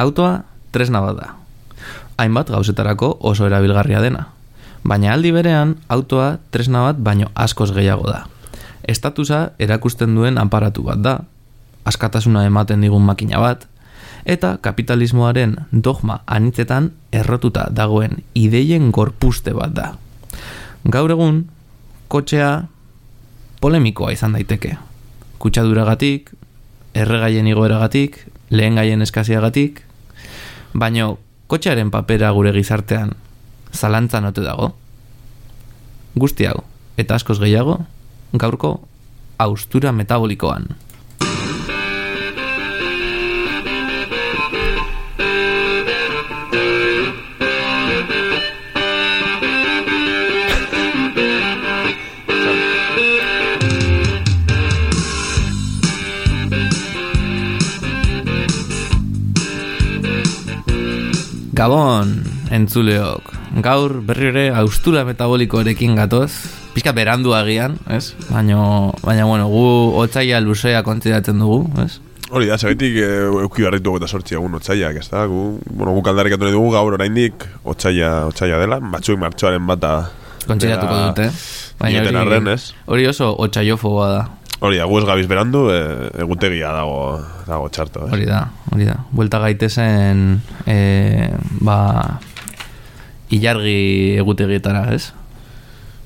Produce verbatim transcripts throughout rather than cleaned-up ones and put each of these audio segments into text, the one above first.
autoa tresna bat da. Hainbat gauzetarako oso erabilgarria dena. Baina aldi berean, autoa tresna bat baino askoz gehiago da. Estatusa erakusten duen aparatu bat da, askatasuna ematen digun makina bat, eta kapitalismoaren dogma anitzetan errotuta dagoen ideien gorpuste bat da. Gaur egun, kotxea polemikoa izan daiteke. Kutsaduragatik, erregaien igoeragatik, lehen gaien eskaziagatik, baino kotxearen papera gure gizartean zalantzan ote dago. Guzti hau, eta askoz gehiago, gaurko haustura metabolikoan. Gabon, entzuleok. Gaur berri ere haustura metabolikoarekin gatoz. Pizka berandu agian, ez? Baina, baina bueno, gu otsaila luzea kontzidatzen dugu, ez? Hori da, segitik euki barritu eta sortzi egun otsaiak, ez da? Gu, bueno, gu kaldarik atu dugu gaur oraindik otsaila, otsaila dela, batzuek martxoaren bata kontzidatuko dute. Baina hori, arren, hori oso otsaiofoba da. Hori da, gu ez gabiz berandu, e, egutegia dago, dago txarto, ez? Hori da, hori da. Buelta gaitezen, e, ba, ilargi egutegietara, ez?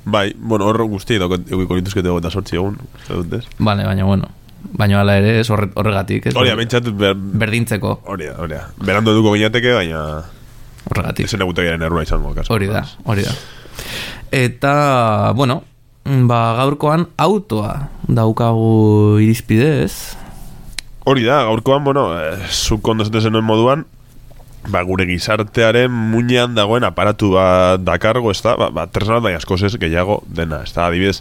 Bai, bueno, hor guzti egiko lituzkete eta sortzi egun, ez? Vale, baina, bueno, baina hala ere, ez horregatik, ez? Hori da, bentsat ber... berdintzeko. Hori da, hori da. Berandu eduko ginateke, baina... Horregatik. Ezen egutegiaren errua izango, kaso. Hori da, hori da. Eta, bueno, ba, gaurkoan autoa daukagu irizpidez. Hori da, gaurkoan, bueno, eh, zuk ondo zaten zenuen moduan, ba, gure gizartearen muinean dagoen aparatu bat dakargo, ez da, ba, ba tresna bat, baina askozez gehiago dena, ez da, adibidez,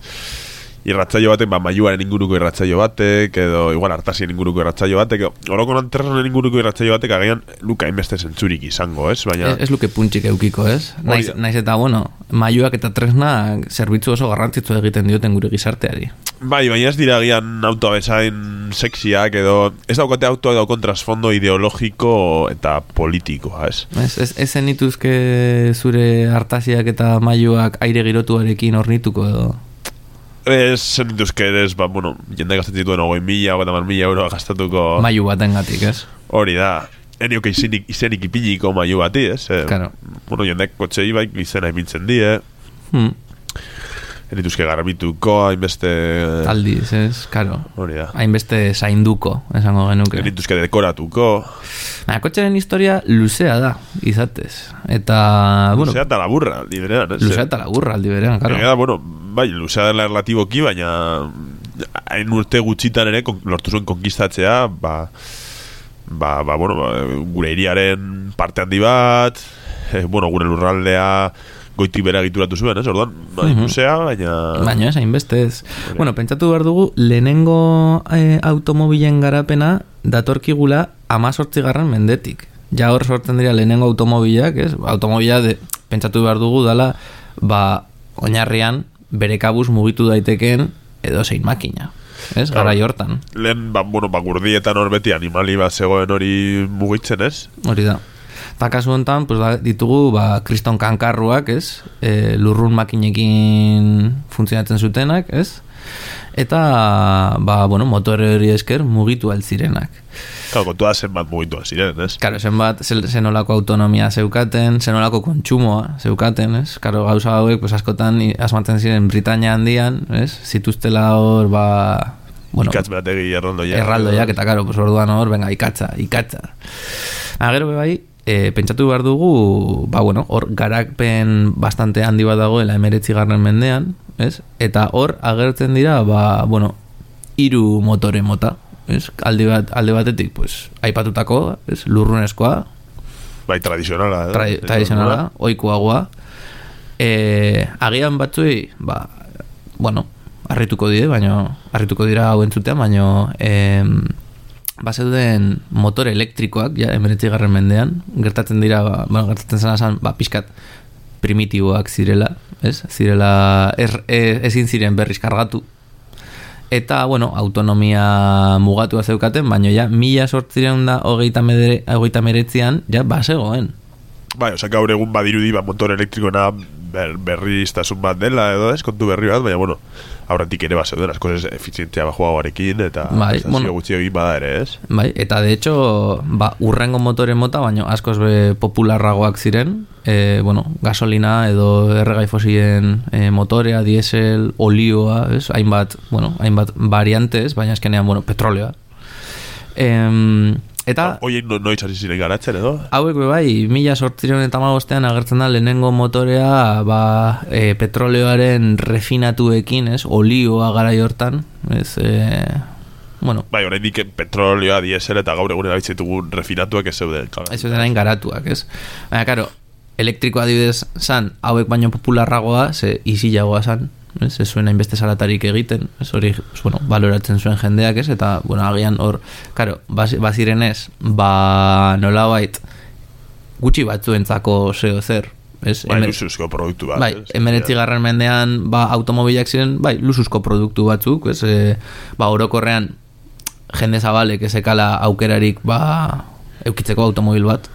irratzaio batek, ba, maiuaren inguruko irratzaio batek, edo igual hartasien inguruko irratzaio batek, orokonan tresnaen inguruko irratzaio batek agian luka inbeste zentzurik izango, ez? Baina... Ez, ez luke puntxik eukiko, ez? Naiz, naiz eta, bueno, maiuak eta tresna zerbitzu oso garrantzitzu egiten dioten gure gizarteari. Bai, baina ez dira agian autoa bezain sexiak, edo ez daukate autoa daukon trasfondo ideologiko eta politikoa, ez? Ez, ez, ez zenituzke zure hartasiak eta maiuak aire girotuarekin ornituko edo... Ez zenituzke ez, ba, bueno, jende gastatzen dituen ogoi mila, ogoi tamar mila euroa gastatuko... Maiu baten gatik, ez? Hori da, enioke izenik, izenik ipiniko maiu bati, ez? Eh, claro. Bueno, jendek kotxei baik izena ipintzen die, hmm. Enituzke garbituko, hainbeste... Aldiz, ez, karo. Hori da. Hainbeste zainduko, esango genuke. Enituzke dekoratuko. Baina, kotxearen historia luzea da, izatez. Eta, bueno... Luzea eta laburra, aldi berean, ez? Luzea eta laburra, aldi berean, karo. Eta, bueno, bai, luzea dela relatiboki, baina hain urte gutxitan ere lortu zuen konkistatzea, ba, ba, ba, bueno, ba, gure hiriaren parte handi bat, eh, bueno, gure lurraldea... goitik bera egituratu zuen, ez? Orduan, bai, uh-huh. Luzea, baina... Baina ez, hainbeste ez. Bueno, pentsatu behar dugu, lehenengo eh, automobilen garapena datorkigula amazortzigarren mendetik. Ja hor sortzen dira lehenengo automobilak, ez? Automobila, de, pentsatu behar dugu, dala, ba, oinarrian, bere kabuz mugitu daiteken edo zein makina. Ez? Claro. Garai hortan. Lehen, ba, bueno, ba, gurdietan hor beti animali bat zegoen hori mugitzen, ez? Hori da. Eta kasu honetan, pues, ditugu ba, kriston kankarruak, ez? E, lurrun makinekin funtzionatzen zutenak, ez? Eta, ba, bueno, motore hori esker mugitu altzirenak. Claro, kontua zenbat mugitu altziren, ez? Claro, zenbat, zenolako autonomia zeukaten, zenolako kontsumoa zeukaten, ez? Claro, gauza hauek, pues, askotan asmatzen ziren Britania handian, ez? Zituztela hor, ba... Bueno, ikatz berategi erraldoiak. Erraldoiak, eta, karo, pues, orduan hor, venga, ikatza, ikatza. Agero, bebai, E, pentsatu behar dugu, ba, bueno, hor garakpen bastante handi bat dagoela emeretzigarren mendean, ez? Eta hor agertzen dira, ba, bueno, hiru motore mota, ez? Alde, bat, alde batetik, pues, aipatutako, ez? Lurrunezkoa. Bai, tradizionala. Tra, tradizionala, oikuagoa. E, agian batzuei, ba, bueno, harrituko dire, baina, harrituko dira hau entzutean, baina... E, bazeuden motor elektrikoak, ja, emeretzigarren mendean, gertatzen dira, ba, bueno, gertatzen zena zan, ba, pixkat primitiboak zirela, ez? Zirela, er, e, ezin ziren berriz kargatu. Eta, bueno, autonomia mugatua zeukaten, baina ja, mila sortzireun da hogeita meretzian, ja, basegoen. Bai, oza, gaur egun badirudi, ba, motor elektrikoena ber, berriztasun bat dela, edo ez, kontu berri bat, baina, bueno, aurretik ere baseuden, asko ez efizientzia bajuagoarekin, eta bai, bueno, gutxi egin bada ere, ez? Bai, eta de hecho, ba, urrengo motoren mota, baina askoz be popularragoak ziren, e, bueno, gasolina edo erregai fosilen e, motorea, diesel, olioa, ez? Hainbat, bueno, hainbat variantes, baina eskenean, bueno, petroleoa. Em, eta... Oien no, noiz hasi ziren garatzen, edo? Hauek be bai, mila sortzireun eta hamabostean agertzen da lehenengo motorea, ba, e, petroleoaren refinatuekin, ez? Olioa garai hortan, ez... E, bueno, bai, oraindik petrolioa, diesel eta gaur egun erabiltzen refinatuak ez zeuden. Ez zeuden hain garatuak, ez? Baina, karo, elektrikoa adibidez zan, hauek baino popularragoa, ze isilagoa zan, ez, ez zuen hainbeste salatarik egiten, ez hori, bueno, baloratzen zuen jendeak, ez, eta, bueno, agian hor, karo, baziren ez, ba, nolabait, gutxi batzuentzako zeo zer, ez? Bai, lusuzko produktu bat. Bai, emeretzigarren mendean, ba, automobilak ziren, bai, lusuzko produktu batzuk, ez, e, ba, orokorrean, jende zabalek ezekala aukerarik, ba, eukitzeko automobil bat,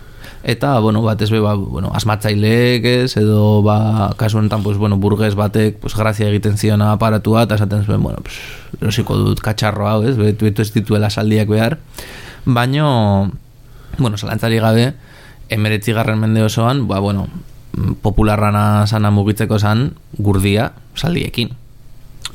eta, bueno, bat ez be, ba, bueno, asmatzaileek ez, edo, ba, kasu honetan, pues, bueno, burgues batek, pues, grazia egiten zion aparatua, eta esaten zuen, bueno, pues, erosiko dut katxarro hau, ez, betu, betu ez dituela saldiak behar, baino, bueno, zalantzari gabe, emeretzigarren mende osoan, ba, bueno, popularrana sana mugitzeko zan, gurdia, saldiekin.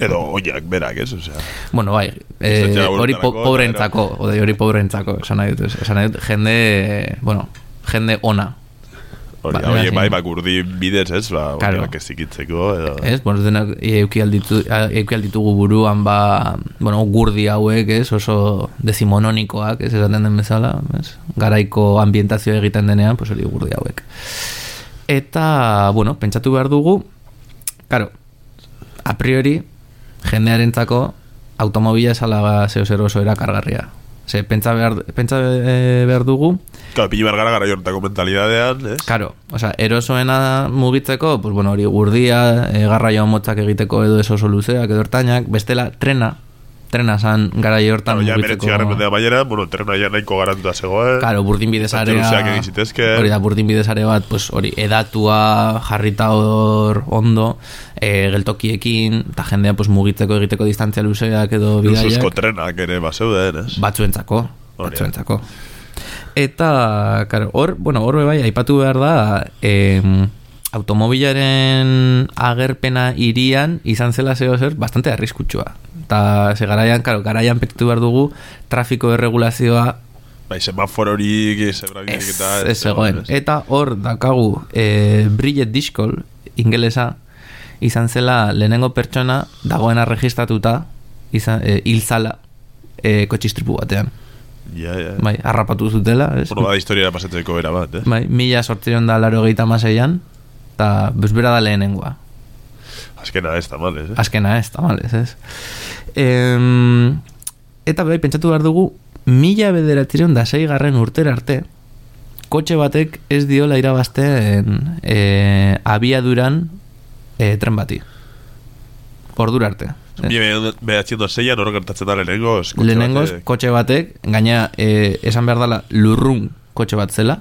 Edo oiak berak, ez? Osea, bueno, bai, eh, hori po, pobrentzako, ode, hori pobrentzako, esan nahi dut, esan nahi dut, jende, bueno, jende ona. Hori, ba, hori, bai, ba, gurdi bidez, ez, ba, claro. Oiak ez zikitzeko, edo... Ez, bueno, denak euki alditu, alditugu buruan, ba, bueno, gurdi hauek, ez, oso decimononikoak, ez, esaten den bezala, ez, garaiko ambientazio egiten denean, pues hori gurdi hauek. Eta, bueno, pentsatu behar dugu, claro, a priori, jendearentzako automobila esala zeo zer oso erakargarria. Ze, pentsa behar, pentsa behar dugu... Claro, pili behar gara gara jortako mentalidadean, ez? Claro, o sea, erosoena mugitzeko, pues bueno, hori gurdia, e, garraio motzak egiteko edo eso oso luzeak edo ertainak, bestela trena, trena zan garai hortan claro, mugitzeko... Claro, ja meretzigarren mendea bueno, trena ja nahiko garantua zegoen. Claro, burdin bidezarea... Hori da, burdin bidezare bat, pues hori, edatua, jarrita hor ondo, e, geltokiekin, eta jendea pues mugitzeko egiteko distantzia luzeak edo bidaiak. Lusuzko trenak ere bazeuden, ez? Batzuentzako, batzuentzako. Eta, karo, hor, bueno, hor bai, aipatu behar da, eh, automobilaren agerpena irian izan zela zeo zer, bastante arriskutsua. Eta, ze garaian, karo, garaian pekitu behar dugu, trafiko erregulazioa bai, semafororik, zebrabirik eta... Ez, ez egoen. Eta hor, dakagu, eh, Bridget Dishkol, ingelesa, izan zela lehenengo pertsona dagoena registratuta, izan, eh, hilzala, eh, kotxistripu batean. Ja, ja. Bai, harrapatu zutela, ez? Bueno, bada historia pasatzeko bera bat, eh? Bai, mila sortzion da laro gehieta maseian, eta bezbera da lehenengoa. Azkena ez, tamales, eh? Azkena ez, tamales, ez? Em, eta bai, pentsatu behar dugu, mila bederatzireun da sei garren urtera arte, kotxe batek ez diola irabazten e, abiaduran e, tren bati. Ordura arte. Behatziendo zeian hori gertatzen da lehenengoz kotxe lehenengoz batek. Kotxe batek, gaina e, esan behar dela lurrun kotxe bat zela,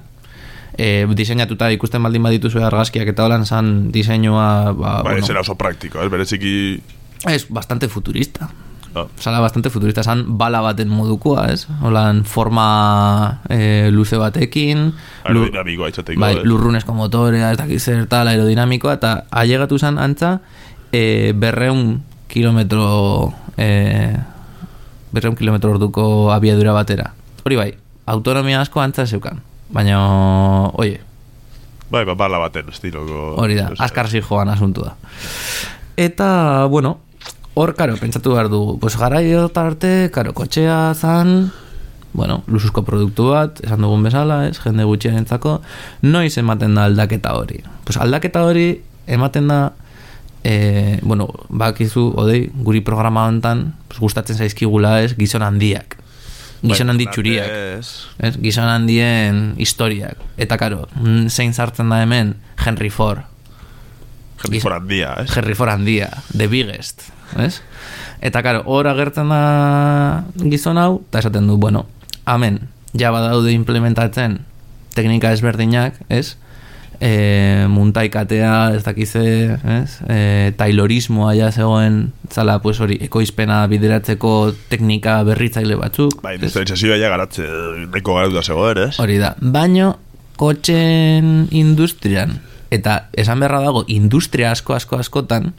e, diseinatuta ikusten baldin baditu zuen argazkiak eta holan zan diseinua ba, ba, bueno, ez era oso praktiko, ez bereziki es bastante futurista. Ah. Zala bastante futurista, zan bala baten modukoa, ez? Holan forma e, luze batekin, aerodinamikoa itxateko, bai, lurrunezko motorea, ez dakiz zer tal, aerodinamikoa, eta ailegatu zan antza e, berreun kilometro eh, berreun kilometro orduko abiadura batera. Hori bai, autonomia asko antza zeukan, baina oie, bai, ba, bala baten estiloko hori da, azkar zijoan asuntu da. Eta, bueno, hor, karo, pentsatu behar du, pues garaio arte, karo, kotxea zan, bueno, lusuzko produktu bat, esan dugun bezala, ez, jende gutxien entzako, noiz ematen da aldaketa hori. Pues aldaketa hori ematen da E, bueno, bakizu, odei, guri programa hontan pues, gustatzen zaizkigula ez, gizon handiak, gizon handi txuriak, ez, gizon handien historiak. Eta karo, zein sartzen da hemen Henry Ford. Henry Ford handia, ez? Henry Ford handia, the biggest, ez? Eta, karo, hor agertzen da gizon hau, eta esaten du, bueno, amen, ja badaude implementatzen teknika ezberdinak, ez? E, muntaikatea, ez dakize, ez? E, taylorismoa ja zegoen, zala, pues hori, ekoizpena bideratzeko teknika berritzaile batzuk. Bai, industrializazioa ja garatze, neko garatuta zegoen, ez? Hori da, baino, kotxen industrian, eta esan beharra dago, industria asko, asko, askotan,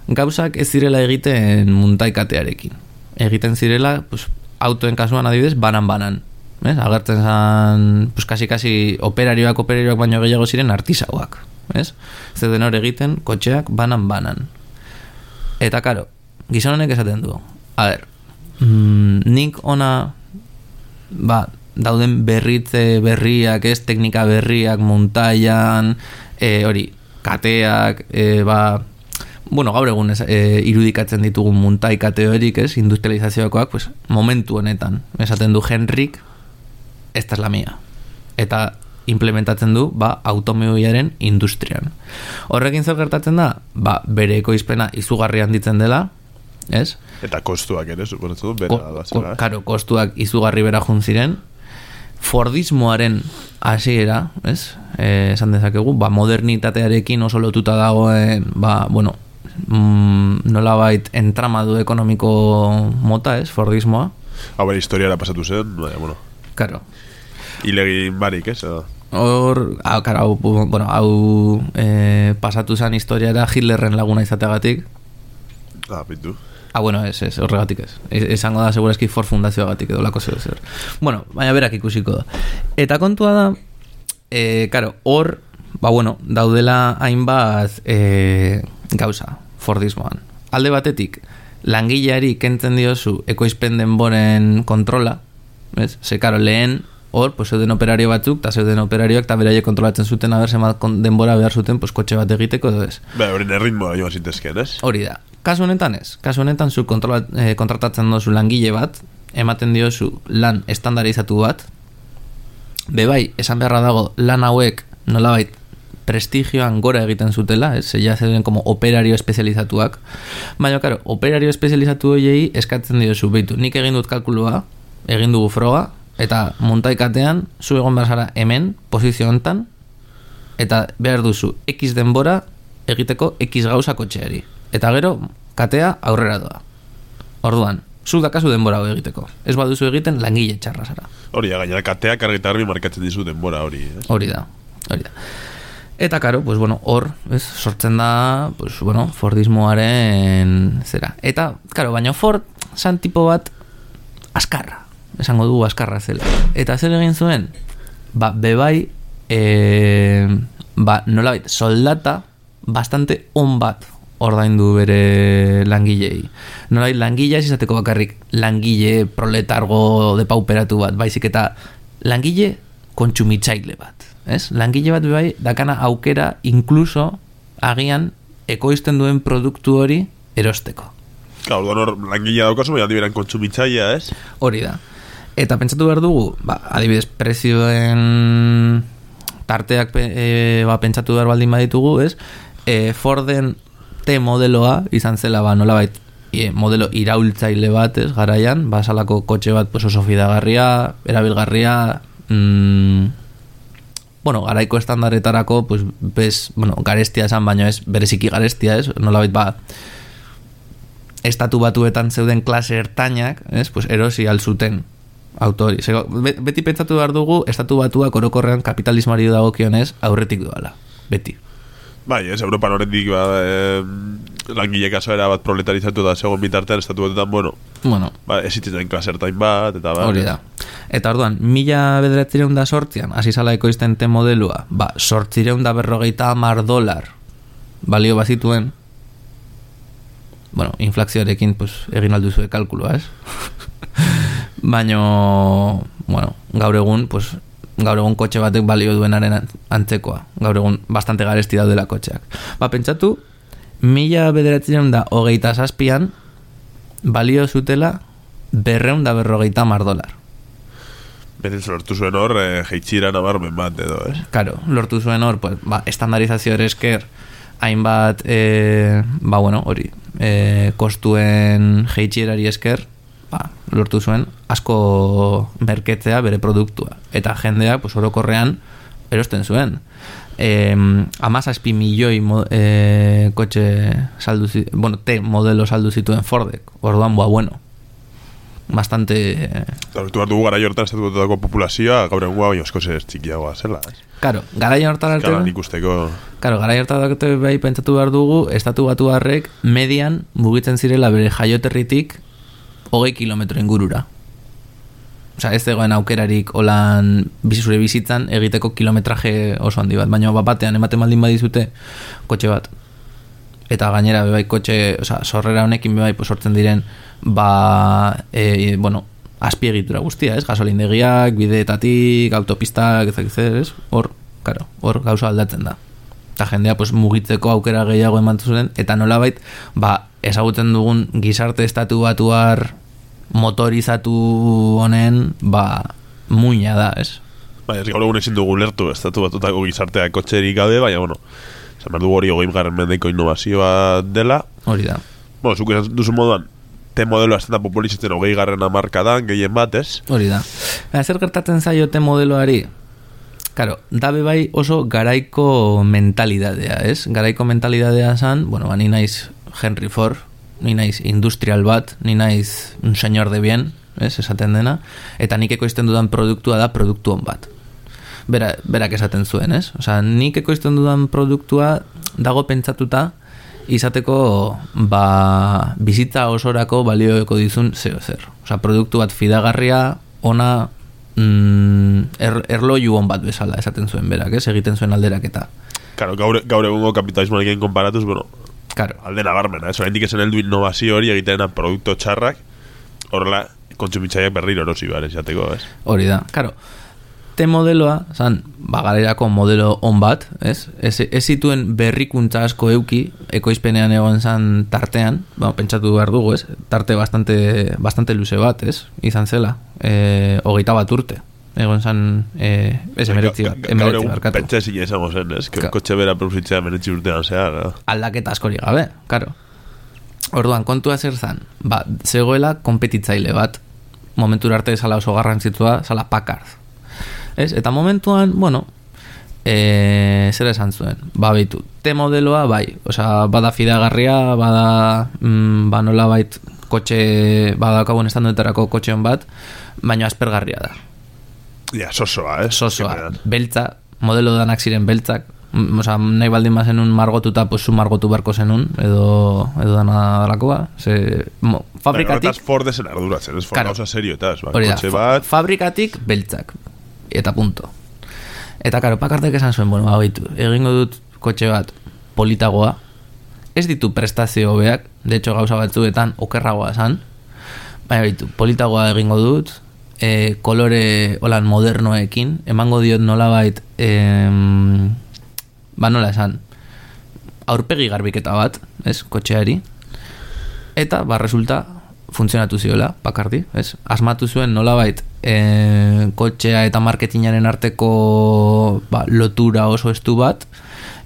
gauzak ez zirela egiten muntaikatearekin. Egiten zirela, pues, autoen kasuan adibidez, banan-banan. ¿Ves? Agertzen zan, pues kasi-kasi operarioak, operarioak baino gehiago ziren artisauak. ¿Ves? Zeden hor egiten, kotxeak banan-banan. Eta, karo, gizon honek esaten du. A ber, mm, nik ona, ba, dauden berritze berriak, ez, teknika berriak, muntaian, e, hori, kateak, e, ba, bueno, gaur egun ez, e, irudikatzen ditugun muntai kate horik, ez, industrializazioakoak, pues, momentu honetan, esaten du Henrik, esta es la mía. Eta implementatzen du, ba, automobilaren industrian. Horrekin zer gertatzen da, ba, bere ekoizpena izugarri handitzen dela, ez? Eta kostuak ere, suponetzen du, bera da zela. Karo, kostuak izugarri bera juntziren, Fordismoaren hasiera, ez? Eh, esan dezakegu, ba, modernitatearekin oso lotuta dagoen, ba, bueno, mm, nolabait entramadu ekonomiko mota, ez? Fordismoa. Hau bere historiara pasatu zen, baina, bueno. Karo. Ilegin barik, ez? Hor, hau, karo, hau, bueno, hau eh, pasatu zen historiara Hitlerren laguna izateagatik. Ah, pintu. Ah, bueno, ez, ez, horregatik ez. Esango da, segurazki For Fundazioagatik edo lako zer zer. Bueno, baina berak ikusiko da. Eta kontua da, e, karo, hor, ba, bueno, daudela hainbat e, gauza, Fordismoan. Alde batetik, langileari kentzen diozu ekoizpen denboren kontrola, ez? Ze, karo, lehen, hor, pues, zeuden operario batzuk, eta zeuden operarioak, eta beraie kontrolatzen zuten, haber, zemat denbora behar zuten, pues, kotxe bat egiteko, edo ez. Ba, hori erritmoa joan zintezken, ez? Hori da. Kasu honetan ez. Kasu honetan zu kontrola, eh, kontratatzen dozu langile bat, ematen diozu lan estandarizatu bat, bebai, esan beharra dago, lan hauek nolabait prestigioan gora egiten zutela, ez? Ja zeuden como operario espezializatuak. Baina, karo, operario espezializatu horiei eskatzen diozu, beitu, nik egin dut kalkulua, egin dugu froga, eta montaikatean, zu egon behar zara hemen, posizio hontan, eta behar duzu X denbora egiteko X gauza kotxeari. Eta gero, katea aurrera doa. Orduan, zu dakazu denbora hori egiteko. Ez baduzu egiten langile txarra zara. Hori da, gainera kateak argi eta garbi markatzen dizu denbora hori. Ez? Hori da, hori da. Eta karo, pues bueno, hor, ez, sortzen da, pues bueno, Fordismoaren zera. Eta, karo, baina Ford zan tipo bat askarra. Esango dugu askarra zela. Eta zer egin zuen? Ba, bebai, e, ba, nolabait, soldata bastante on bat ordaindu bere langilei. Nolai, langilea ez izateko bakarrik langile proletargo de pauperatu bat, baizik eta langile kontsumitzaile bat. Ez? Langile bat bai dakana aukera inkluso agian ekoizten duen produktu hori erosteko. Claro, hor langilea daukazu, baina diberan kontsumitzailea, ez? Hori da. Eta pentsatu behar dugu, ba, adibidez, prezioen tarteak e, ba, pentsatu behar baldin baditugu, ez? E, Forden T modeloa izan zela, ba, nolabait e, modelo iraultzaile bat, ez, garaian, ba, salako kotxe bat pues, oso fidagarria, erabilgarria, mm, bueno, garaiko estandaretarako, pues, bez, bueno, garestia esan, baino ez, bereziki garestia, ez, nolabait, ba, estatu batuetan zeuden klase ertainak, ez, pues, erosi alzuten autori. Zego, beti pentsatu behar dugu, estatu batuak orokorrean kapitalismoari dagokionez aurretik doala, beti. Bai, ez, Europan horretik ba, eh, langile kasoera bat proletarizatu da segon bitartean estatu batetan, bueno, bueno ba, esitzen klasertain bat, eta ba. Hori da. Eta orduan, mila bederatzireun da sortzian, hasi zala ekoizten te modelua, ba, sortzireun da berrogeita hamar dolar balio bazituen, bueno, inflazioarekin, pues, egin alduzue kalkuloa, ez? Baino, bueno, gaur egun, pues, gaur egun kotxe batek balio duenaren antzekoa. Gaur egun bastante garesti daudela kotxeak. Ba, pentsatu, mila bederatzireun da hogeita zazpian balio zutela berreun da berrogeita hamar dolar. Berenz lortu zuen hor, eh, jeitxira nabarmen bat edo, ez? Karo, lortu zuen hor, pues, ba, estandarizazio esker hainbat e, ba bueno, hori e, kostuen jeitxierari esker ba, lortu zuen asko merketzea bere produktua eta jendeak pues, orokorrean erosten zuen e, amazazpi milioi mo, e, kotxe saldu zituen, bueno, T modelo saldu zituen Fordek, orduan boa bueno bastante Hortu bat dugu gara jortan estatutako populazioa gaur egun baino asko zer txikiagoa zela ez? Claro, gara jortan arte Kalan ikusteko Claro, gara jortan arte bai pentsatu behar dugu estatu batu harrek median mugitzen zirela bere jaioterritik hogei kilometro ingurura. Osea, ez dagoen aukerarik holan zure bizitzan egiteko kilometraje oso handi bat, baina bat batean ematen baldin badizute kotxe bat. Eta gainera bebai kotxe, osea, sorrera honekin bebai pues, sortzen diren ba, e, bueno, azpiegitura guztia, ez? Gasolindegiak, bideetatik, autopistak, ezak ez? Hor, claro, hor gauza aldatzen da. Eta jendea pues, mugitzeko aukera gehiago emantu zuen, eta nolabait, ba, ezagutzen dugun gizarte estatu batuar motorizatu honen, ba, muina da, ez? Bai, ez gaur egun ezin dugu lertu estatu batutako gizartea kotxerik gabe, baina, bueno, esan behar dugu hori hogei garren mendeko innovazioa dela. Hori da. Bueno, zuk esan duzu moduan, te modelo azten da populizatzen hogei garren amarkadan, gehien bat, ez? Hori da. Baina, zer gertatzen zaio te modeloari? Karo, dabe bai oso garaiko mentalidadea, ez? Garaiko mentalidadea zan, bueno, ba, ni naiz Henry Ford, ni naiz industrial bat, ni naiz un señor de bien, ez, esaten dena, eta nik ekoizten dudan produktua da produktu on bat. Bera, berak esaten zuen, ez? Osea, nik ekoizten dudan produktua dago pentsatuta izateko ba, bizitza osorako balioeko dizun zeo zer. Osea, produktu bat fidagarria, ona, mm, er, erloju on bat bezala esaten zuen berak, ez? Egiten zuen alderaketa. Claro, gaur, gaur egungo kapitalismoarekin konparatuz, bueno, claro. Alde nabarmena, ez? Oraindik esen heldu innovazio hori egiten produktu txarrak, horrela kontsumitzaileak berriro erosi behar esateko, ez? Hori da, claro. Te modeloa, zan, bagalerako modelo on bat, ez? Ez, ez zituen berrikuntza asko euki, ekoizpenean egon zan tartean, ba, pentsatu behar dugu, ez? Tarte bastante, bastante luze bat, ez? Izan zela, e, hogeita bat urte. Egon zan, e, ez emeretzi bat, emeretzi barkatu. Pentsa ezin izango zen, ez? Que kotxe bera produzitzea emeretzi urtean zehar, no? Aldaketa askori gabe, karo. Orduan, kontua zer zan, ba, zegoela konpetitzaile bat, momentura arte zala oso garrantzitsua, zala Packard. Ez? Eta momentuan, bueno, e, zer esan zuen, ba, beitu, te modeloa, bai, osea, bada fidagarria, bada, mm, ba, nola bait, kotxe, bada kabun estandoetarako kotxeon bat, baina aspergarria da. Ja, sosoa, eh? Sosoa, beltza, modelo danak ziren beltzak, osea, nahi baldin bazen un margotuta, pues zu margotu barko zenun, edo, edo dana dalakoa, ze, mo, fabrikatik... Horretaz Ford esen arduratzen, ez Ford claro, gauza serioetaz, ba, hori da, kotxe bat... fabrikatik beltzak, eta punto. Eta karo, Packardek esan zuen, bueno, baitu, egingo dut kotxe bat politagoa, ez ditu prestazio hobeak, de hecho gauza batzuetan okerragoa esan, baina baitu, politagoa egingo dut, e, kolore holan modernoekin, emango diot nolabait, em, ba nola esan, aurpegi garbiketa bat, ez, kotxeari, eta, ba, resulta, funtzionatu ziola, Packardi, ez? Asmatu zuen nolabait e, kotxea eta marketingaren arteko ba, lotura oso estu bat,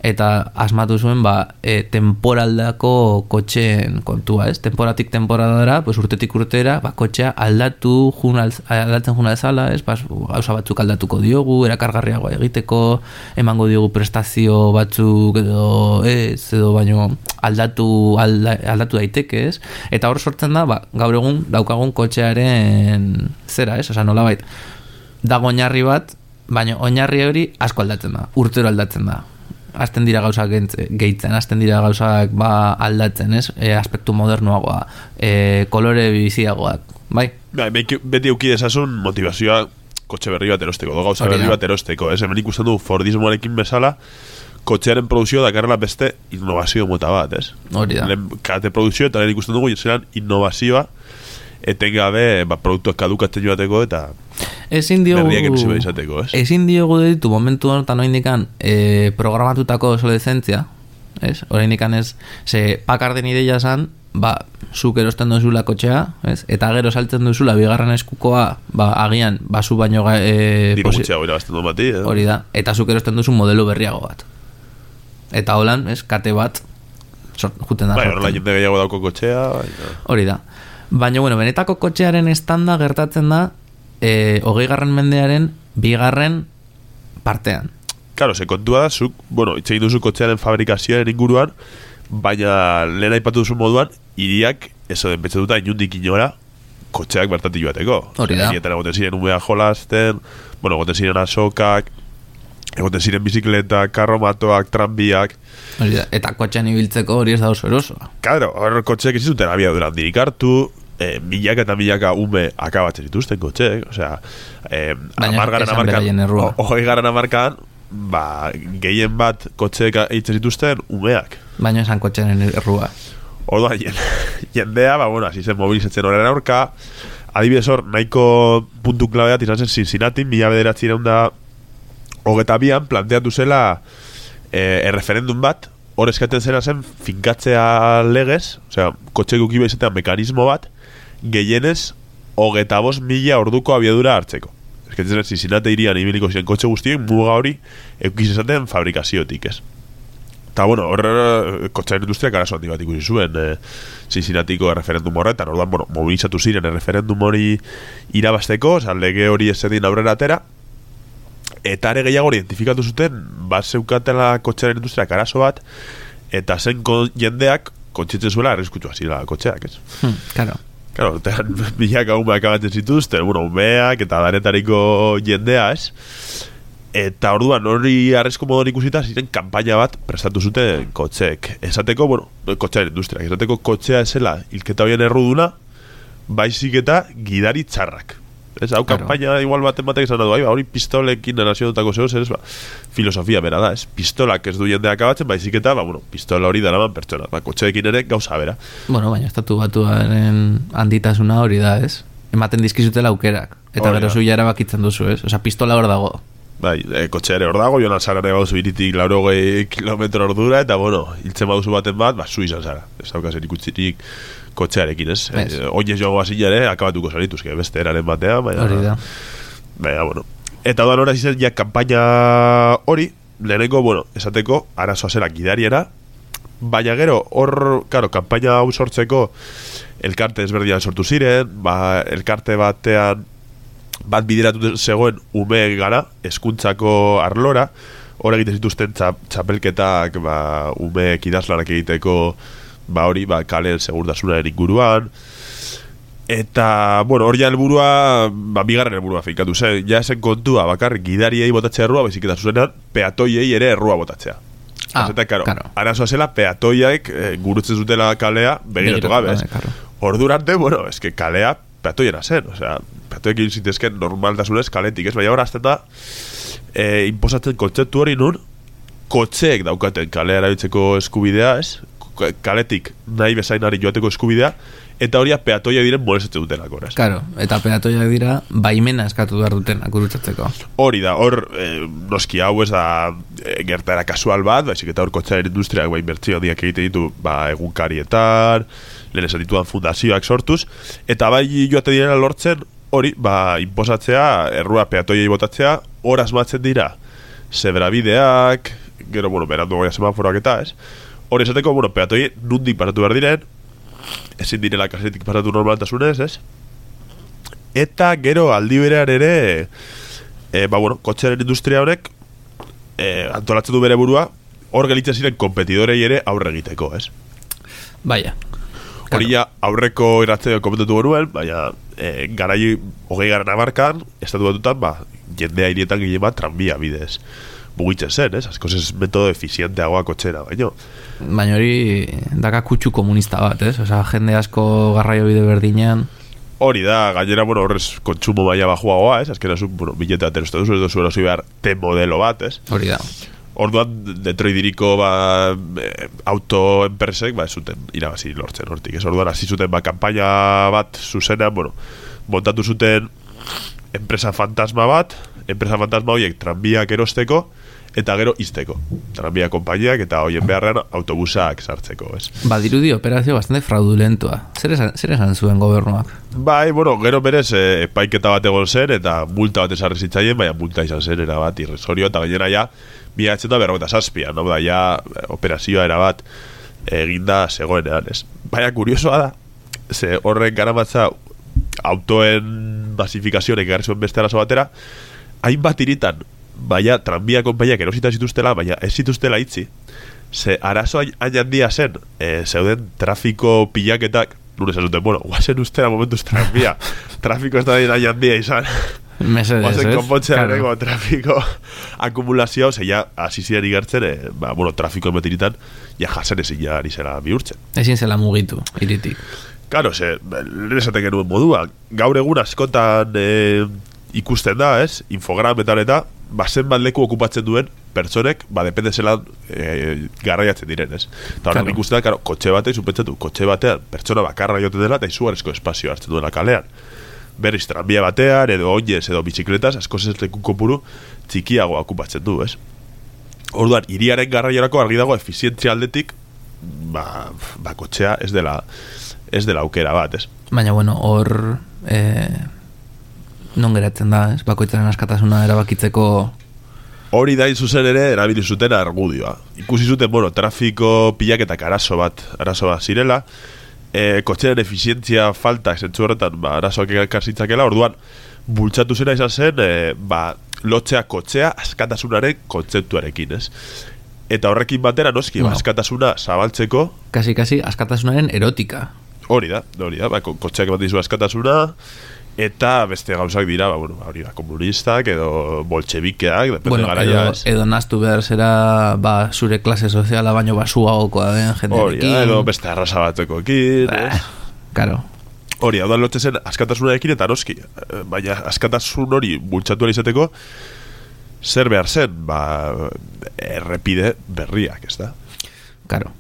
eta asmatu zuen ba, e, temporaldako kotxeen kontua, ez? Temporatik temporadara, pues, urtetik urtera, ba, kotxea aldatu jun alz, aldatzen juna ezala, ez? Ba, gauza batzuk aldatuko diogu, erakargarriagoa egiteko, emango diogu prestazio batzuk edo ez, edo baino aldatu alda, aldatu daiteke, ez? Eta hor sortzen da, ba, gaur egun daukagun kotxearen zera, ez? Osa, nolabait, dago oinarri bat, baina oinarri hori asko aldatzen da, urtero aldatzen da. Azten dira gauzak gehitzen, azten dira gauzak ba, aldatzen, ez? E, aspektu modernoagoa, e, kolore biziagoak, bai? Ba, beti euki dezasun motivazioa kotxe berri bat erosteko, do gauza berri bat erosteko, ez? Hemen ikusten du Fordismoarekin bezala, kotxearen produzio dakarrela beste innovazio mota bat, ez? Hori da. Lehen kate produzio eta lehen ikusten dugu zelan innovazioa etengabe ba, produktuak kadukatzen joateko eta ezin diogu berriak erusi behar izateko, ez? Ezin diogu ditu momentu honetan oindikan e, programatutako obsolescentzia, ez? Oraindikan ez, ze Packarden ideia zan, ba, zuk erosten duzula kotxea, ez? Eta gero saltzen duzula bigarren eskukoa, ba, agian, basu baino e, diru gutxeago irabazten duen bati, eh? Hori da, eta zuk erosten duzu modelo berriago bat. Eta holan, ez, kate bat sort, juten da. Bai, horrela jende gehiago dauko kotxea. Hori da. Baina, bueno, benetako kotxearen estanda gertatzen da e, hogei garren mendearen bigarren partean. Claro, se kontua da, zuk, bueno, itxegin duzu kotxearen fabrikazioaren inguruan, baina lehen aipatu duzu moduan, hiriak, eso den betxe duta, inundik inora, kotxeak bertatik joateko. Hori da. Hietan egoten ziren umea jolasten, bueno, egoten ziren asokak, egoten ziren bizikletak, karromatoak, tranbiak. Hori da, eta kotxean ibiltzeko hori ez da oso erosoa. Claro, hor kotxeak ez zuten abia duran dirik hartu, eh, milaka eta milaka ume akabatzen dituzten kotxeek, osea, eh, amargaren amarkan, hogei garen amarkan, ba, gehien bat kotxeek eitzen zituzten umeak. Baina esan kotxearen errua. Orduan, jendea, ba, bueno, hasi zen mobilizatzen horren aurka, adibidez hor, nahiko puntu klabeat izan zen Cincinnati, mila bederatzi da hogeta bian, planteatu zela eh, erreferendum bat, hor eskaten zena zen finkatzea legez, osea, kotxe gukiba izatea mekanismo bat, gehienez hogeta bost mila orduko abiadura hartzeko. Eskatzen zen Cincinnati irian ibiliko ziren kotxe guztien muga hori eukiz esaten fabrikaziotik, ez? Eta, bueno, hor kotxearen industriak arazo handi bat ikusi zuen eh, Cincinnatiko erreferendum horretan, orduan, bueno, mobilizatu ziren erreferendum hori irabasteko, oza, lege hori ez zedin aurrera atera, eta ere gehiago identifikatu zuten, bat zeukatela kotxearen industriak arazo bat, eta zen jendeak kontzitzen zuela arriskutua zira kotxeak, ez? Hmm, claro. Claro, tean milaka umeak abatzen zituzten, bueno, umeak eta danetariko jendea, ez? Eta orduan hori arrezko modon ikusita ziren kanpaina bat prestatu zuten kotxeek. Esateko, bueno, kotxearen industriak, esateko kotxea esela hilketa horien erruduna, baizik eta gidari txarrak. Ez, hau claro. Kanpaina igual baten batek esan du, ba, hori pistolekin nazionotako zehoz, ez, ba, filosofia bera da, ez, pistolak ez du jendeak abatzen, baizik eta, ba, bueno, pistola hori daraman pertsona, ba, kotxeekin ere gauza bera. Bueno, baina estatu batuaren handitasuna hori da, ez, ematen dizkizutela aukerak, eta gero zu ja erabakitzen duzu, ez, oza, pistola hor dago. Bai, e, kotxe ere hor dago, joan alzarare bauzu iritik laurogei kilometro ordura, eta, bueno, hiltzen baduzu baten bat, ba, zu izan zara, ez daukazen ikutsirik kotxearekin, ez? Eh, Oinez joango hasi ere, akabatuko zanituzke, beste eraren batean, baina... Hori da. Baina, bueno. Eta doan horaz izan, ja, kampaina hori, lehenengo, bueno, esateko, arazoa zela gidariera, baina gero, hor, karo, kampaina hau sortzeko, elkarte ezberdian sortu ziren, ba, elkarte batean, bat bideratu zegoen ume gara, hezkuntzako arlora, hor egiten zituzten txap, txapelketak, ba, umeek idazlanak egiteko, ba hori, ba, kalen segurtasunaren inguruan, eta, bueno, hori ja helburua, ba, bigarren helburua finkatu zen, ja esen kontua, bakar, gidariei botatzea errua, baizik eta zuzenean, peatoiei ere errua botatzea. Ah, eta, karo, claro. Arazoa zela, peatoiak eh, gurutzen zutela kalea, begiratu gabe, ez? Claro. Ordurante, bueno, es que kalea peatoiera zen, osea, peatoiekin zitezken normaltasunez kaletik, ez? Baina hor azten da, eh, imposatzen kontzeptu hori nun, kotxeek daukaten kalea erabiltzeko eskubidea, ez? Kaletik nahi bezainari joateko eskubidea, eta hori peatoia diren molezatzen dutenak, ez? Claro, eta peatoia dira baimena eskatu behar dutenak gurutzatzeko. Hori da, hor, eh, noski hau ez da eh, gertara kasual bat, baizik eta hor kotxearen industriak ba, inbertzio handiak egiten ditu ba, egunkarietan, lehen esan dituan fundazioak sortuz, eta bai joate direla lortzen, hori, ba, inposatzea, errua peatoiei botatzea, hor asmatzen dira, zebrabideak, gero, bueno, berandu goia semaforoak eta, ez? Hori esateko, bueno, peatoi nundik pasatu behar diren, ezin direla kasetik pasatu normaltasunez, ez? Eta gero aldi berean ere, e, ba, bueno, kotxearen industria honek, e, antolatzen du bere burua, hor gelitzen ziren kompetidorei ere aurre egiteko, ez? Baina. Hori ja aurreko irratzeo komentatu genuen, baina e, garai hogei garen amarkan, estatu batutan, ba, jendea hirietan gile bat tranbia bidez mugitzen zen, ez? Askoz ez metodo efizienteagoa kotxera, baino. Baina hori daka kutsu komunista bat, ez? Osa, jende asko garraio bide berdinean. Hori da, gainera, bueno, horrez kontsumo maila bajuagoa, ez? Azkena zu, bueno, bilete bat erostu duzu, ez duzu erosi behar T-modelo bat, ez? Hori da. Orduan, Detroitiriko ba, autoenpresek, ba, ez zuten irabazi lortzen hortik, ez? Orduan, hasi zuten, ba, kampaina bat zuzenean, bueno, montatu zuten enpresa fantasma bat, enpresa fantasma horiek tranbiak erosteko, eta gero izteko. Tranbia konpainiak eta hoien beharrean autobusak sartzeko, ez? Badirudi operazio bastante fraudulentoa. Zer esan, zer esan zuen gobernuak? Bai, bueno, gero berez e, epaiketa bat egon zen, eta multa bat esarri zitzaien, baina multa izan zen, erabat, irrisorio, eta gainera ja, bi eta berrogeta zazpian, no? Da, ja, operazioa erabat eginda zegoenean, ez? Baina, kuriosoa da, ze horren garamatza autoen basifikazionek egarri zuen beste arazo batera, hainbat iritan, baina tranbia konpaiak erosita zituztela, baina ez zituztela itzi. Ze arazo hain handia zen, e, zeuden trafiko pilaketak, nure esan zuten, bueno, guazen ustera momentuz tranbia, trafiko ez da hain handia izan. Mesedez, guazen konpontzea claro. Trafiko akumulazioa, ze ja, asizian igartzen, e, ba, bueno, trafiko emetiritan, ja jasen ezin ja ari zela bihurtzen. Ezin zela mugitu, iritik. Karo, ze, lehen esaten genuen modua, gaur egun askotan e, ikusten da, ez, infogrametan eta, bazen bat leku okupatzen duen pertsonek, ba, depende zelan e, garraiatzen diren, ez? Eta horrek ikusten da, karo, kotxe batean, zupentzatu, kotxe batean, pertsona bakarra joten dela, eta izugarrizko espazio hartzen duela kalean. Berriz, tranbia batean, edo oinez, edo bizikletas, asko ez leku kopuru txikiago okupatzen du, ez? Orduan, hiriaren garraiorako argi dago efizientzia aldetik, ba, ba kotxea ez dela, ez dela aukera bat, ez? Baina, bueno, hor... Eh... non geratzen da, ez? Bakoitzaren askatasuna erabakitzeko... Hori da zuzen ere erabili zuten argudioa. Ikusi zuten, bueno, trafiko pilaketak arazo bat, arazo bat zirela, e, kotxearen efizientzia falta zentzu horretan, ba, arazoak ekarzitzakela, orduan, bultzatu zena izan zen, e, ba, lotzea kotxea askatasunaren kontzeptuarekin, ez? Eta horrekin batera, noski, no. Askatasuna zabaltzeko... Kasi-kasi, askatasunaren erotika. Hori da, hori da, ba, kotxeak bat dizu askatasuna... Eta beste gauzak dira, ba, bueno, hori da, komunistak edo bolchebikeak, depende bueno, garaia. Edo, edo naztu behar zera, ba, zure klase soziala baino basuagokoa den jendearekin. Hori, edo beste arrasa batzekoekin. Eh, karo. Hori, hau da lotzen zen askatasunarekin eta noski. Baina askatasun hori bultzatu izateko, zer behar zen, ba, errepide berriak, ez da? Karo.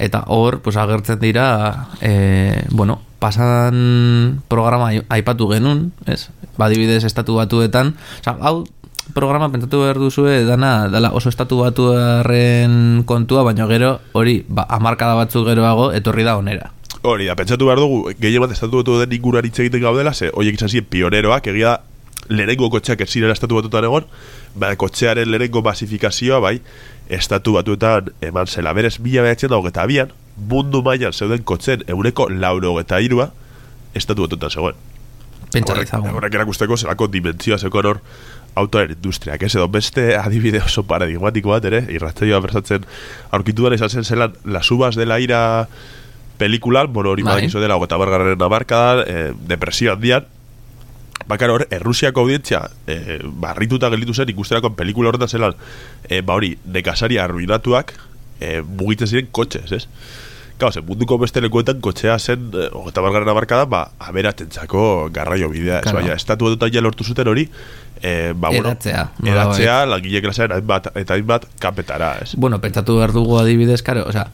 Eta hor, pues, agertzen dira, eh, bueno, pasan programa aipatu genuen, ez? Badibidez estatu batuetan, oza, hau programa pentsatu behar duzue dana, dala oso estatu batuaren kontua, baina gero hori, ba, hamarkada batzuk geroago etorri da onera. Hori da, pentsatu behar dugu, gehien bat estatu batu den inguruan hitz egiten gaudela, ze horiek izan ziren pioneroak, egia lehenengo kotxeak ez zirela estatu batutan egon, ba, kotxearen lehenengo basifikazioa, bai, estatu batuetan eman zela. Berez, mila behatzen dago eta abian, mundu mailan zeuden kotxen eureko lauro eta irua estatu batutan zegoen. Pentsatzagun. Horrek erakusteko zelako dimentsioa zekon hor autoaren industriak, ez edo beste adibide oso paradigmatiko bat ere, irratzaioa berzatzen aurkitu dara izan zen zelan Las Uvas de la Ira pelikulan, bueno, hori badakizu dela ogeta bargarren amarkadan, eh, depresio handian, bakar hor, Errusiako audientzia eh, barrituta gelditu zen ikusterako pelikula horretan zelan, eh, ba hori, nekasaria arruinatuak eh, mugitzen ziren kotxez, ez? Gau, zen munduko beste lekuetan kotxea zen eh, ogeta bargarren amarkadan, ba, aberatentzako garraio bidea, ez? Baina, estatu edotan ja lortu zuten hori, eh, ba, bueno, edatzea, edatzea langile klasean hainbat eta hainbat kapetara, ez? Bueno, pentsatu behar dugu adibidez, karo, o sea,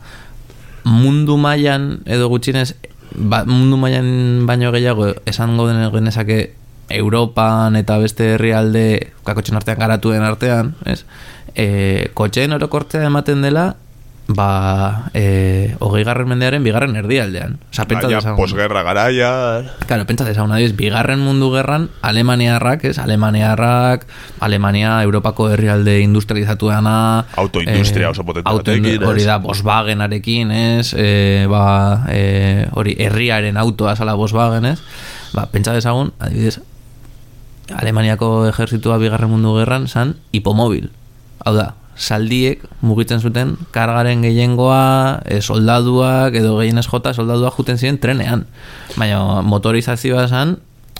mundu mailan edo gutxinez, ba, mundu mailan baino gehiago esango den genezake Europan eta beste herrialde kakotxen artean garatuen artean, ez? E, kotxeen orokortzea ematen dela, ba, e, hogei garren mendearen bigarren erdialdean. Osa, pentsa Baina, dezagun. posguerra garaia... Claro, pentsa dezagun, adiz, bigarren mundu gerran, Alemaniarrak, ez? Alemaniarrak, Alemania, Europako herrialde industrializatuana... Autoindustria eh, oso potente auto batekin, hori ez? da, Volkswagenarekin, ez? E, ba, e, hori, herriaren autoa zala Volkswagen, ez? Ba, pentsa dezagun, adibidez, Alemaniako ejertzitua bigarren mundu gerran zan hipomobil. Hau da, saldiek mugitzen zuten kargaren gehiengoa, e, soldaduak edo gehienez jota soldaduak juten ziren trenean. Baina motorizazioa zan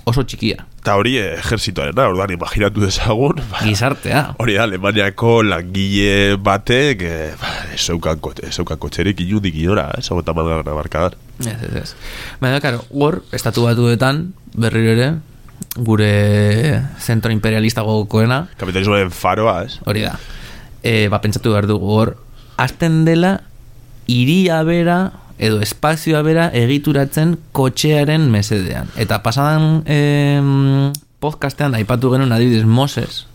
oso txikia. Eta hori ejerzitoaren da, orduan imaginatu dezagun. Ba, gizartea. Hori da, Alemaniako langile batek eh, ba, ezeukan kotxerik inundik inora, ez hau eta malgarra markadan. Ez, ez, ez. Baina, karo, hor, estatu batuetan, berriro ere, gure zentro imperialista gogokoena. Kapitalismoen faroa, ez? Hori da. E, ba, pentsatu behar dugu hor, azten dela hiria bera edo espazioa bera egituratzen kotxearen mesedean. Eta pasadan e, podcastean aipatu genuen adibidez Moses.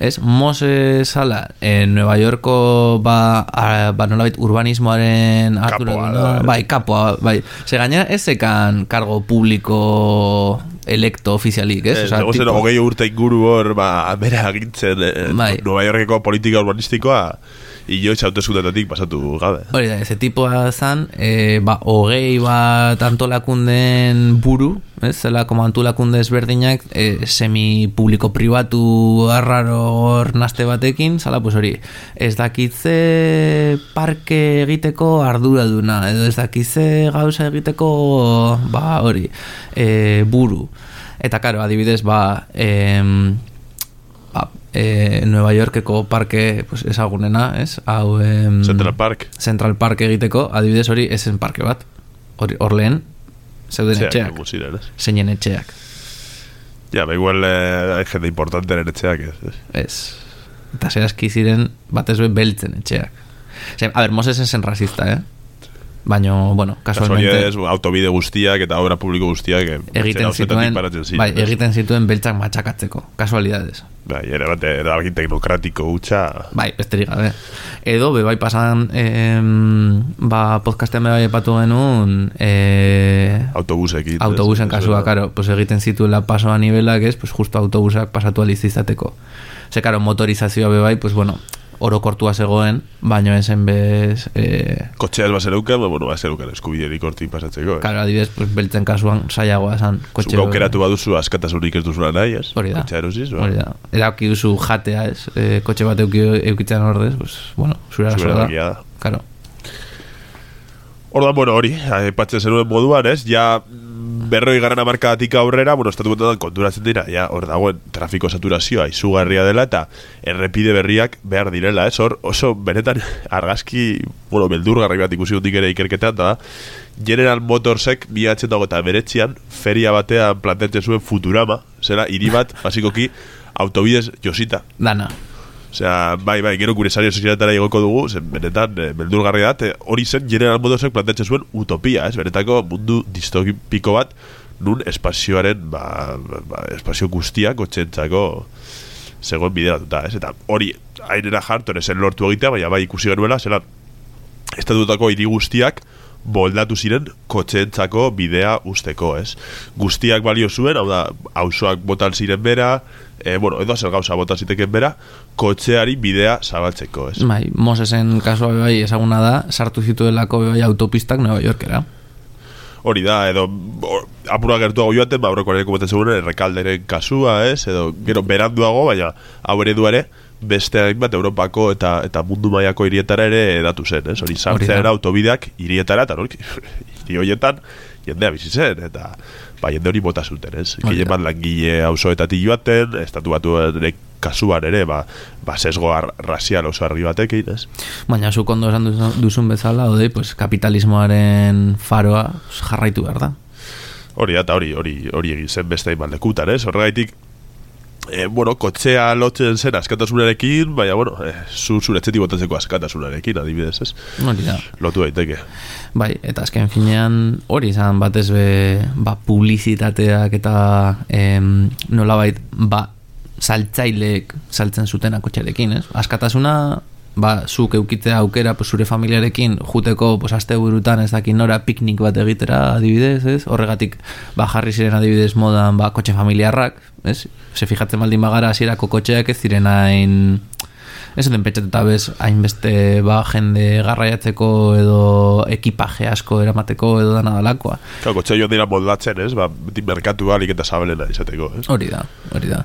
Ez, Moses sala, en Nueva Yorko ba, a, ba nolabait urbanismoaren Kapoa, bai, kapoa, bai. Se gainera ezekan kargo publiko electo ofizialik, ez? Ez, Osa, tipo... hogei urte inguru hor, ba, bera agintzen eh, bai. Nueva Yorkeko politika urbanistikoa inoiz hauteskundetatik pasatu gabe. Hori da, eze tipoa zan, e, ba, hogei bat antolakunden buru, ez? Zela, como antolakunde ezberdinak, e, semi-publiko pribatu arraro hor naste batekin, zala, pues hori, ez dakitze parke egiteko arduraduna, edo ez dakitze gauza egiteko, ba, hori, e, buru. Eta, karo, adibidez, ba, em, ba, e, Nueva Yorkeko parke pues, ezagunena, ez? Hau, em, Central Park. Central Park egiteko, adibidez hori, esen parke bat. Hor, hor lehen, zeuden etxeak. Zeinen etxeak. Ja, ba, igual eh, hay gente importante en etxeak, ez? Ez. Eta zerazki ziren batez be beltzen etxeak. Zer, a ver, Moses esen rasista, eh? Baina, bueno, casualmente... Kasualidades, autobide guztiak eta obra publiko guztiak egiten zituen, bai, egiten zituen beltzak matxakatzeko. Casualidades. Bai, ere bat, erabaki teknokratiko hutsa... Bai, besterik gabe. Edo, be, bai, pasan, eh, ba, podcastean be bai epatu genuen... Eh, autobusekin. Autobusen kasua, karo, pues egiten zituela paso a nivelak, ez, pues justo autobusak pasatu alizizateko. Ze, karo, motorizazioa be bai, pues bueno... orokortua zegoen, baino esen bez... Eh... Kotxeaz basereukan, ba, bueno, basereukan eskubiderik hortik pasatzeko. Karo, eh? Adibidez, pues, beltzen kasuan saiagoa esan kotxe... Zuko aukeratu baduzu askatasunik ez duzula nahi, ez? Hori da. Kotxea erosiz, ba? Hori da. Erauki duzu jatea, ez? E, kotxe bat euki, eukitzen ordez, pues, bueno, zure arazoa da. Karo. Orduan, bueno, hori, aipatzen zenuen moduan, ez? Ja... berroi garren amarkadatik aurrera, bueno, estatu betetan konturatzen dira, ja, hor dagoen trafiko saturazioa izugarria dela eta errepide berriak behar direla, ez? Hor, oso benetan argazki, bueno, beldurgarri bat ikusi hundik ere ikerketan, da General Motorsek bihatzen dago eta beretzian feria batean planteatzen zuen Futurama, zera, hiri bat, basikoki, autobidez josita. Dana. Osea, bai, bai, gero gure sari sozialetara igoko dugu, zen benetan e, beldurgarri da, hori zen General Motorsek planteatzen zuen utopia, ez? Benetako mundu distopiko bat, nun espazioaren, ba, ba, espazio guztiak otxentzako zegoen bideratuta, ez? Eta hori, hainera jartu, zen lortu egitea, baina bai ikusi genuela, zelan, estatutako hiri guztiak boldatu ziren kotxeentzako bidea usteko, ez? Guztiak balio zuen, hau da, auzoak botan ziren bera, e, bueno, edo zer gauza botan ziteken bera, kotxeari bidea zabaltzeko, ez? Bai, Mosesen kasua bai ezaguna da, sartu zituelako bai autopistak Nueva Yorkera. Hori da, edo apura gertuago joaten, ba, aurreko ere kometzen zegoen errekalderen kasua, ez? Edo, gero beranduago, baina hau eredu ere, beste hainbat Europako eta eta mundu mailako hirietara ere edatu zen, ez? Hori sartzen autobideak hirietara, eta hori, hiri horietan jendea bizi zen, eta ba, jende hori bota zuten, ez? Gile bat langile auzoetatik joaten, estatu batuen kasuan ere, ba, ba sesgo razial oso argi batekin, ez? Baina zuk ondo esan duzun bezala, odei, pues, kapitalismoaren faroa jarraitu behar da. Hori da, eta hori, hori, hori egin zen beste hainbat lekutan, ez? Horregaitik, E, bueno, kotxea lotzen zen askatasunarekin, baina, bueno, e, zu zure etxetik botatzeko askatasunarekin, adibidez, ez? Hori da. Lotu daiteke. Bai, eta azken finean hori izan batez be, ba, publizitateak eta em, nolabait, ba, saltzaileek saltzen zutena kotxearekin, ez? Askatasuna, ba, zuk eukitzea aukera, pues, zure familiarekin juteko, pues, aste burutan ez dakin nora piknik bat egitera, adibidez, ez? Horregatik, ba, jarri ziren adibidez modan, ba, kotxe familiarrak, ez? Se fijatzen baldin bagara hasierako kotxeak ez ziren hain... Ez zuten petxatuta bez, hainbeste, ba, jende garraiatzeko edo ekipaje asko eramateko edo dana dalakoa. Claro, kotxe joan dira moldatzen, ez? Ba, beti merkatu alik eta zabelena izateko, ez? Hori da, hori da.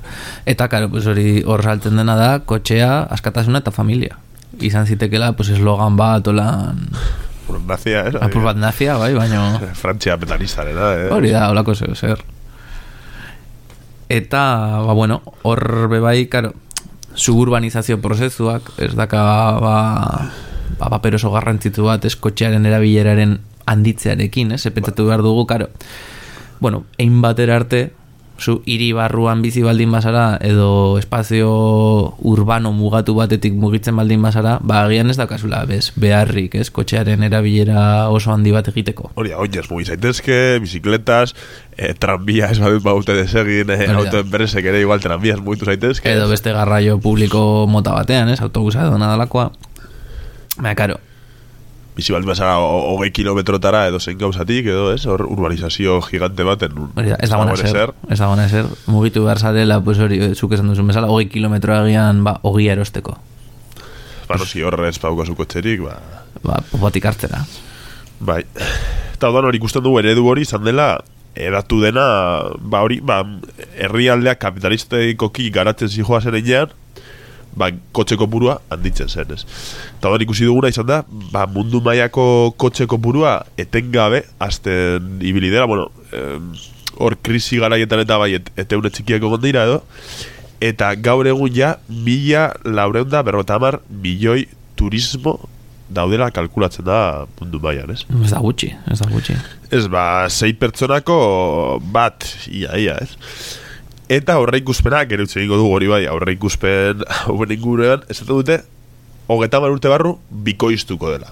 Eta, karo, pues, hori hor saltzen dena da, kotxea, askatasuna eta familia. Izan zitekela, pues, eslogan bat, olan... Apur nazia, eh? Apur bat nazia, bai, baino... Frantzia metalistaren, eh? Hori da, holako zeu, zer. Eta, ba, bueno, hor bebai, karo, suburbanizazio prozesuak, ez daka, ba, ba, paper oso garrantzitu bat, ez, kotxearen erabileraren handitzearekin, ez, epentsatu behar dugu, karo, bueno, ein batera arte, zu hiri barruan bizi baldin bazara edo espazio urbano mugatu batetik mugitzen baldin bazara, ba agian ez dakazula bez, beharrik, ez, kotxearen erabilera oso handi bat egiteko. Hori da, oinez, mugi zaitezke, bizikletas, eh, tranbia ez badut baute desegin, eh, autoenpresek ere igual tranbiaz mugitu zaitezke. Edo beste garraio publiko mota batean, ez, autobusa edo nadalakoa. Baina, karo, bizi baldin bazara hogei kilometrotara edo zein gauzatik, edo ez, hor urbanizazio gigante baten. Hori da, ez da gona eser, ez da gona eser, mugitu behar zarela, pues hori, zuk esan duzun bezala, hogei kilometro egian, ba, ogia erosteko. Ba, no, si horre ez pauko zukotxerik, ba... Ba, popotik hartzera. Bai. Eta odan hori ikusten dugu eredu hori izan dela, edatu dena, ba hori, ba, herrialdeak kapitalisteikoki garatzen zijoa zen enean, ba, kotxe kopurua handitzen zen, ez. Eta hori ikusi duguna izan da, ba, mundu mailako kotxe kopurua etengabe azten ibili dela, bueno, hor eh, krisi garaietan eta bai, et, eteune txikiako gondira edo, eta gaur egun ja, mila laureunda berrota hamar milioi turismo daudela kalkulatzen da mundu mailan, ez? Ez da gutxi, ez da gutxi. Ez, ba, sei pertsonako bat, ia, ia, ez? Eta aurre ikuspena, gero utzi egingo dugu hori bai, aurre ikuspen hauen inguruan, ez dute, hogeita hamar urte barru, bikoiztuko dela.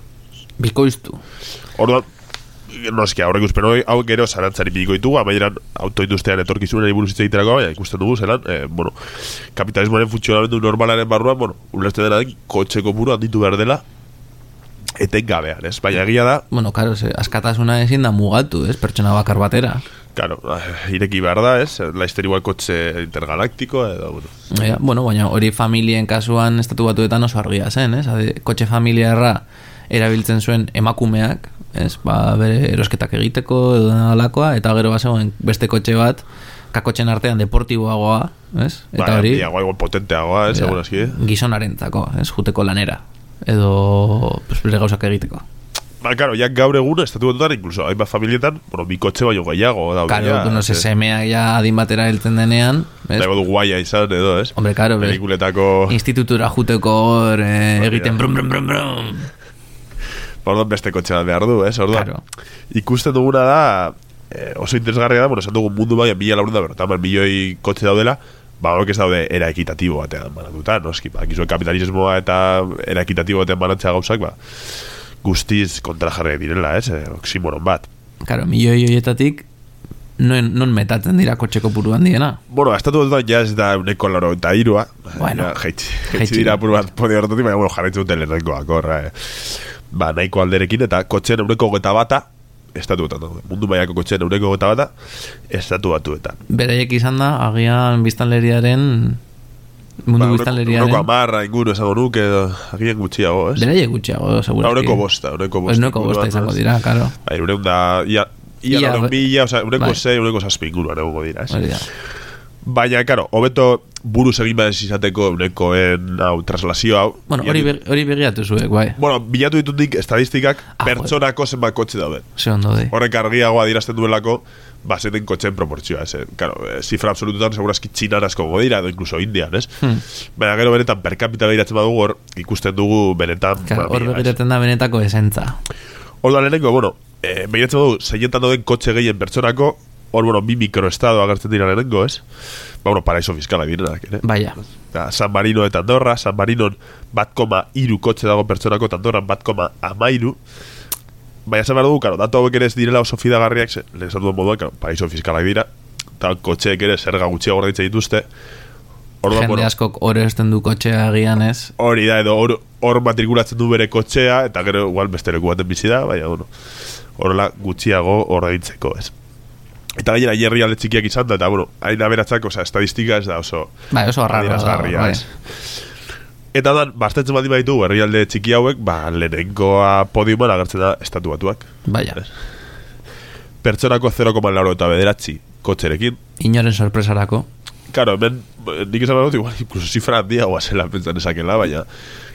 Bikoiztu? Orduan, noski, aurre ikuspen hori, hau gero zarantzari bikoitugu, amaieran autoindustrian etorkizunen buruz hitz egiterako, baina ikusten dugu, zelan, eh, bueno, kapitalismoaren funtzionamendu normalaren barruan, bueno, ulertzen dena den, kotxe kopuru handitu behar dela, eten gabean, ez? Baina egia da... Bueno, karo, askatasuna ezin da mugatu, ez? Pertsona bakar batera. Claro, ireki behar da, ez? Laizter igual kotxe intergalaktiko, edo, bueno. Ja, bueno, baina hori familien kasuan estatu batuetan oso argia zen, ez? Ade, kotxe familiarra erabiltzen zuen emakumeak, ez? Ba, bere erosketak egiteko, edo nalakoa, eta gero bazegoen beste kotxe bat, kakotxen artean deportiboagoa, ez? Eta hori... Ba, igual potenteagoa, ez? Egun eski. Gizonarentzako, ez? Juteko lanera. Edo, pues, bere gauzak egiteko. Ba, claro, ya gaur egun, estatu batutan, incluso, hainbat familietan, bueno, bi kotxe baino gehiago. Claro, ya, no se semeak ya adin batera heltzen denean. Dago du guaia izan, edo, ez? Hombre, claro, pelikuletako... institutura juteko hor, eh, egiten brum, brum, brum, brum. Orduan beste kotxe bat behar du, ez? Orduan, claro. Ikusten duguna da, eh, oso interesgarria da, bueno, esan dugu mundu baina mila laurenda, pero tamar milioi kotxe daudela, ba, horiek ez daude era ekitatibo batean banatuta, noski, ba, gizuen kapitalismoa eta era ekitatibo batean banatzea gauzak, ba, guztiz kontra jarri direla, ez? Oximoron bat. Claro, milioi horietatik non, non metatzen dira kotxe kopuru handiena? Bueno, estatu dut ja ez da uneko laro eta irua. Bueno, jeitsi dira apur bat podi horretatik, baina, bueno, jarraitzen duten lehenenkoak, horra, eh. Ba, nahiko alderekin, eta kotxean eureko geta bata, estatu batuetan, mundu mailako kotxean eureko geta bata, estatu batuetan. Beraiek izan da, agian biztanleriaren... Mundu ba, biztanleriaren... Eureko amarra, inguru, esango nuke, agian gutxiago, ez? Beraiek gutxiago, segura. Eureko bosta, eureko bosta. Eureko bosta izango dira, karo. Ba, eureun da... Ia, ia, ia laro mila, oza, eureko zei, eureko zazpi inguruan egongo dira, ez? Baina, karo, hobeto buruz egin badez izateko eunekoen hau, traslazio hau. Bueno, hori hori begiatu zuek, bai. Bueno, bilatu ditutik estadistikak ah, pertsonako zenbat kotxe dauden. Se ondo de. Horrek argiagoa dirazten duelako, bazeten kotxen proportzioa, ez. Claro, zifra absolututan segurazki txinan asko godira, edo incluso indian, ez? Hmm. Baina gero benetan per capita behiratzen badugu, hor ikusten dugu benetan... Claro, hor begiratzen da benetako esentza. Hor da lehenengo, bueno, eh, behiratzen badugu, zeietan dauden kotxe gehien pertsonako, hor, bueno, bi mikroestado agertzen dira lehenengo, ez? Ba, bueno, paraiso fiskala direnak, ere? Baina. San Marino eta Andorra, San Marinon bat koma iru kotxe dago pertsonako, eta Andorran bat koma amairu. Baina, esan behar dugu, karo, datu hauek ere ez direla oso fidagarriak, lehen esan duen moduan, karo, paraiso fiskalak dira, eta kotxeek ere zerga gutxiago ordaintzen dituzte. Orduan, jende bueno, askok hor esten du kotxea agian, ez? Hori da, edo hor, hor matrikulatzen du bere kotxea, eta gero, igual, beste leku baten bizi da, baina, bueno, horrela gutxiago ordaintzeko, ez? Eta gainera hierri alde txikiak izan da, eta, bueno, hain aberatzak, oza, estadistika ez da oso... Bai, oso arraro da, bai. Eta dan, bastetzen baldin baditu, herri alde txiki hauek, ba, lehenengoa podiuman agertzen da estatu batuak. Baina. Pertsonako zero koma lauro eta bederatzi kotxerekin. Inoren sorpresarako. Karo, hemen, nik esan badut, igual, incluso zifra handia guazela pentsan esakela, baina,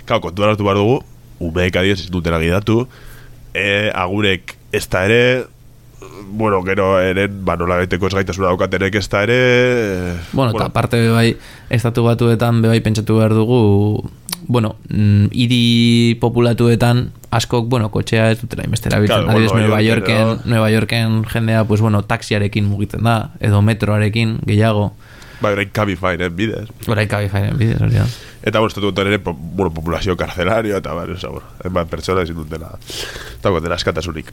karo, kontuan hartu behar dugu, umeek adiez ez dutena gidatu, e, agurek ez da ere... bueno, gero eren, ba, nola gaiteko ez gaitasuna daukatenek ez da ere... Bueno, eta aparte bebai, estatu batuetan bebai pentsatu behar dugu, bueno, hiri populatuetan askok, bueno, kotxea ez dutela inbestera bitzen. Claro, bueno, Nueva Yorken, no. Nueva Yorken jendea, pues bueno, taxiarekin mugitzen da, edo metroarekin gehiago. Ba, orain Cabifyren bidez. Orain Cabifyren bidez, hori da. Eta, bueno, estatu ere, bueno, populazio karcelario, eta, bueno, esa, bueno, enban pertsona ezin dutela, eta, bueno, eskatasunik.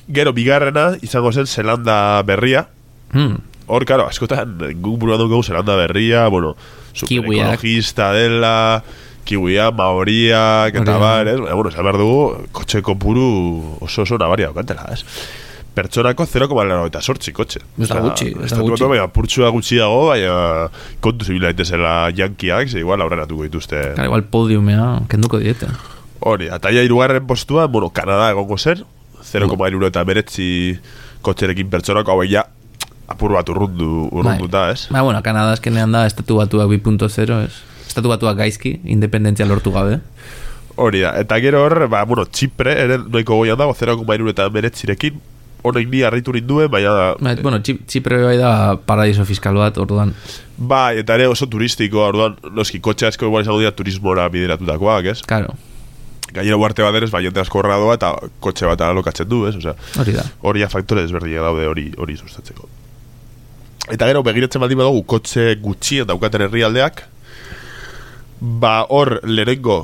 Gero, bigarrena, izango zen Zelanda berria. Hmm. Hor, karo, askotan, guk buruan dugu Zelanda berria, bueno, super ekologista dela, kiwia, maoriak, eta bar, ez? Bueno, esan behar dugu, kotxe kopuru oso oso nabaria daukatela, ez? Pertsonako zero koma laurogeita zortzi kotxe. Ez da gutxi, ez da gutxi. Baina, purtsua gutxiago, baina kontu zibila daitezela yankiak, ze igual aurreratuko dituzte. Claro, igual podiumea, kenduko diete. Hori, eta ja irugarren postua, bueno, Kanada egongo zen, zero koma laurogeita beretzi kotxerekin pertsonako, hau ja, apur bat urrundu, urrunduta, ez? Ba, bueno, Kanada azkenean da, estatu batuak bi punto zero, ez? Estatu batuak gaizki, independentzia lortu gabe. Hori da, eta gero hor, ba, bueno, Txipre, ere, noiko goian dago, zero koma laurogeita beretzirekin, honek ni harritu ninduen, baina... Ba, bueno, Txipre bai da paradiso fiskal bat, orduan. Ba, eta ere oso turistiko, orduan, noski, kotxe asko igual izango dira turismora bideratutakoak, ez? Claro. Gainera uarte bat ere, bai, jente asko horra doa, eta kotxe bat alokatzen du, ez? Osea, hori da. Hori ja faktore desberdina daude hori hori sustatzeko. Eta gero, begiratzen baldin badugu, kotxe gutxien daukaten herrialdeak, ba, hor, lehenengo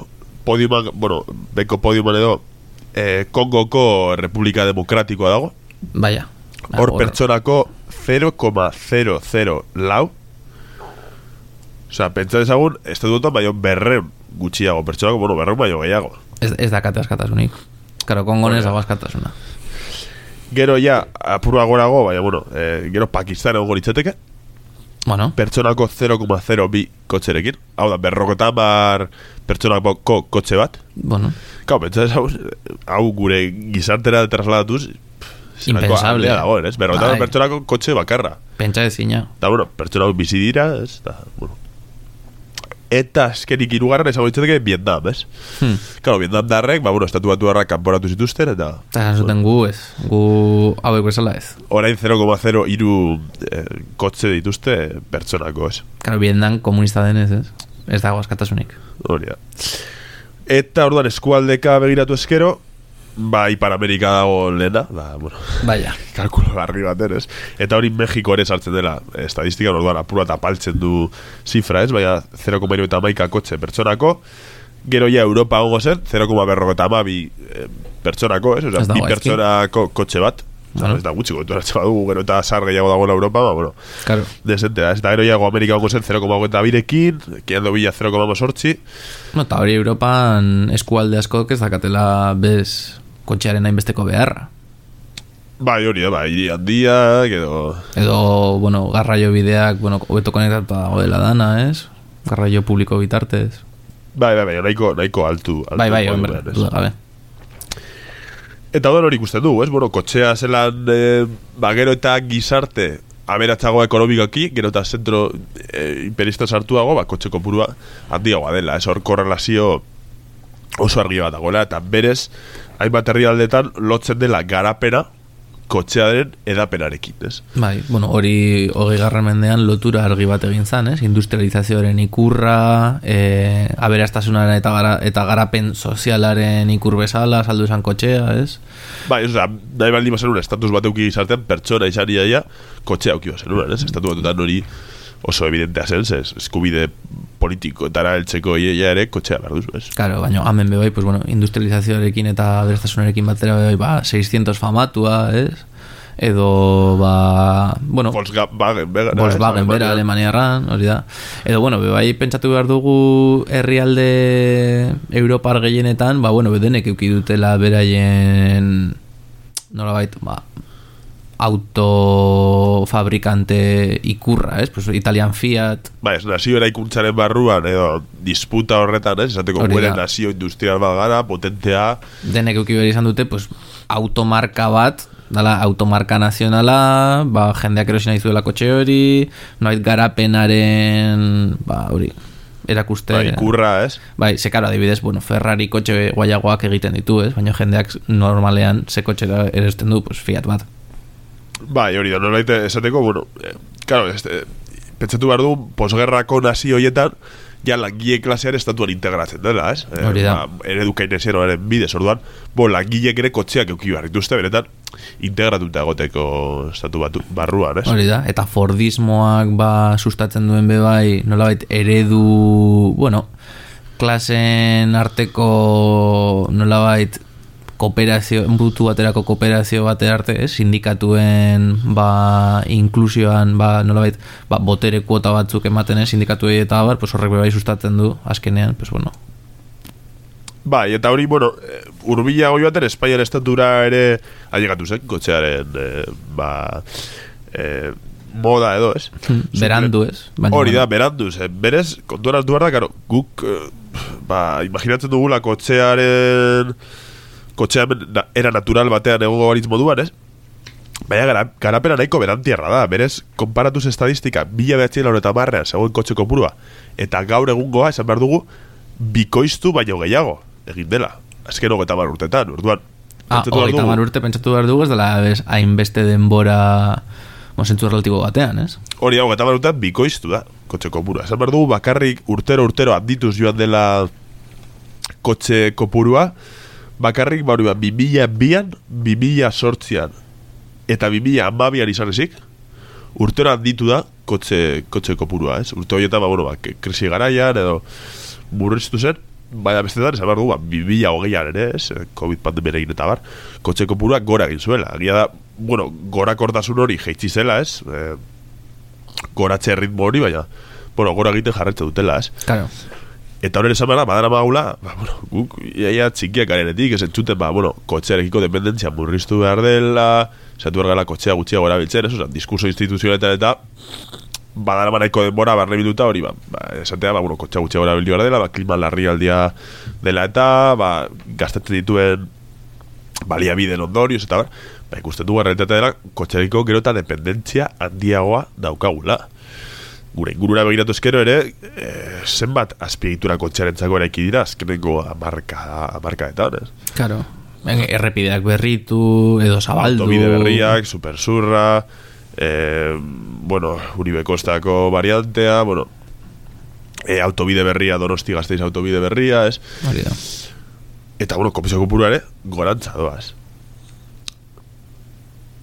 podiuman, bueno, beko podiuman edo, eh, Kongoko Republika Demokratikoa dago. Baina. Hor pertsonako zero koma zero zero lau. Osa, pentsa dezagun, estatu dutan baino berren gutxiago. Pertsonako, bueno, berren baino gehiago. Ez, ez dakate askatasunik. Karo, Kongonez dago askatasuna. Gero ja, apurua gorago, baina, bueno, eh, gero Pakistan egon goritzateke. Bueno. Pertsonako zero koma zero bi kotxerekin. Hau da, berrokotan bar pertsonako kotxe bat. Bueno. Kau, pentsa dezagun, hau gure gizartera trasladatuz, impensable dago, ez? Berrokotan pertsonako kotxe bakarra. Pentsa ezina. Eta, bueno, pertsonako bizi dira, ez? Eta, bueno. Eta azkenik irugarren esango ditzateke Vietnam, ez? Hmm. Claro, Vietnam darrek, ba, bueno, estatu batu harrak kanporatu zituzten, eta... Eta esan zuten gu, ez? Gu hauek bezala ez? Orain zero koma zero hiru eh, kotxe dituzte pertsonako, ez? Claro, Vietnam komunista denez, ez? Ez dago askatasunik. Hori da. Eta orduan eskualdeka begiratu eskero, ba, Ipar Amerika dago lehena, ba, bueno, Baia. kalkulo garri baten, ez? Eta hori Mexiko ere sartzen dela, estadistika, orduan apura eta paltzen du zifra, ez? Baina zero koma hirurogeita hamaika kotxe pertsonako, gero ja Europa gongo zen, zero koma berrogeita hamabi eh, pertsonako, ez? Osa, bi pertsonako kotxe bat, bueno. Ez da gutxi gotu eratzen badugu, gero eta sar gehiago dagoela Europa, ba, bueno, claro. Desente da, ez? Eta gero ja Amerika gongo zen zero koma hogeita birekin, kiando bila zero koma sortzi. No, eta hori Europan eskualde asko ez dakatela bez kotxearen hainbesteko beharra. Bai, hori da, bai, hiri handiak, edo... Edo, bueno, garraio bideak, bueno, hobeto konektatuta dagoela dana, ez? Garraio publiko bitartez. Bai, bai, bai, nahiko, nahiko altu. altu bai, bai, hombre, duda gabe. Eta hori hori ikusten du, ez? Bueno, kotxea zelan, eh, ba, gero eta gizarte aberatzago ekonomikoki, gero eta zentro eh, imperista sartuago, ba, kotxe kopurua handiagoa dela, ez? Hor korrelazio oso argi bat dagoela, eta berez, hainbat herrialdetan lotzen dela garapena kotxearen edapenarekin, ez? Bai, bueno, hori hogei garren mendean lotura argi bat egin zan, ez? Industrializazioaren ikurra, e, aberastasunaren eta, gara, eta garapen sozialaren ikur bezala, saldu esan kotxea, ez? Bai, ez da, nahi baldin bazen un estatus bat euki gizartean, pertsona izan iaia, kotxea euki bazen un, ez? Estatu batutan hori oso evidentea zen, ez? Eskubide politiko eta heltzeko iaia ere kotxea behar duzu, ez? Claro, baina hamen bebai, pues bueno, industrializazioarekin eta aberastasunarekin batera bebai, ba, seiscientos famatua, ez? Edo, ba, bueno, Volkswagen bera, Volkswagen bera Alemaniarran, hori da. Edo, bueno, bebai pentsatu behar dugu herrialde Europar gehienetan, ba, bueno, bedenek euki dutela beraien nola bait, ba, autofabrikante ikurra, ez? Pues Italian Fiat. Ba, ez nazio eraikuntzaren barruan, edo disputa horretan, ez? Esateko gure nazio industrial bat gara, potentea. Denek euki behar izan dute, pues, automarka bat, dala, automarka nazionala, ba, jendeak erosin nahi zuela kotxe hori, noait garapenaren, ba, hori, erakuste. Ba, ikurra, ez? Bai, ze karo, adibidez, bueno, Ferrari kotxe guaiagoak egiten ditu, ez? Baina jendeak normalean ze kotxe erosten du, pues, Fiat bat. Bai, hori da, nolait esateko, bueno, eh, claro, este, pentsatu behar du, posgerrako nazi horietan, ja langile klasean estatuan integratzen dela, ez? Hori da. Ba, eredu keynesianoaren bidez, orduan, bo, langilek ere kotxeak euki behar dituzte, benetan, integratuta egoteko estatu batu, barruan, ez? Hori da, eta Fordismoak ba sustatzen duen be bai, nolabait eredu, bueno, klasen arteko nolabait kooperazio, butu baterako kooperazio bate arte, eh? Sindikatuen ba inklusioan ba nolabait ba botere kuota batzuk ematen ez sindikatuei eta bar, pues horrek bai sustatzen du azkenean, pues bueno. Bai, eta hori, bueno, urbila goi baten Espainiar estatura ere ailegatu zen, kotxearen eh, ba eh, moda edo, ez? Berandu, ez? Hori da, berandu, zen. Berez, kontuan hartu behar da, karo, guk eh, ba, imaginatzen dugula kotxearen kotxean era natural batean egongo baritz moduan, ez? Baina gara, garapena nahiko berantierra da. Berez, konparatuz estadistika mila behatzi laureta marrean zegoen kotxe kopurua eta gaur egungoa, esan behar dugu, bikoiztu baino gehiago egin dela. Azken hogeita mar urtetan, orduan. Ah, hogeita mar urte pentsatu behar dugu, ez dela hainbeste denbora mozentzu relatibo batean, ez? Hori da, hogeita mar urtetan bikoiztu da kotxe kopurua. Esan behar dugu, bakarrik urtero urtero handituz joan dela kotxe kopurua, bakarrik ba hori ba, bi mila bian, bi mila sortzian eta bi mila hamabian izan ezik, urtero handitu da kotxe, kotxe kopurua, ez? Urte horietan, ba, bueno, ba, krisi garaian edo murriztu zen, baina bestetan, esan behar dugu, ba, bi mila hogeian ere, ez? Covid pandemia egin eta bar, kotxe kopurua gora egin zuela. Agia da, bueno, gora kortasun hori jeitsi zela, ez? E, goratxe ritmo hori, baina, bueno, gora egiten jarretze dutela, ez? Claro. Eta horren esan behar, badara maula, ba, bueno, guk iaia txikiak garenetik, ez entzuten, ba, bueno, kotxearekiko dependentzia murriztu behar dela, zatu behar gala kotxea gutxiago erabiltzen, ez, oza, diskurso instituzionaletan eta badara manaiko denbora barne minuta hori, ba, ba esatea, ba, bueno, kotxea gutxiago erabiltu behar dela, ba, klima larri aldia dela eta, ba, gastatzen dituen baliabideen ondorioz, eta bar, ba, ikusten dugu realitatea dela, kotxearekiko gero eta dependentzia handiagoa daukagula. Gure ingurura begiratu eskero ere, e, zenbat azpiegitura kotxearentzako eraiki dira, azkeneko amarka, amarkaetan, ez? Claro, errepideak berritu, edo zabaldu. Autobide berriak, supersurra, e, bueno, Uribe Kostako variantea, bueno, e, autobide berria, Donosti Gasteiz autobide berria, ez? Marida. Eta, bueno, komisio kopurua ere, gorantza doaz.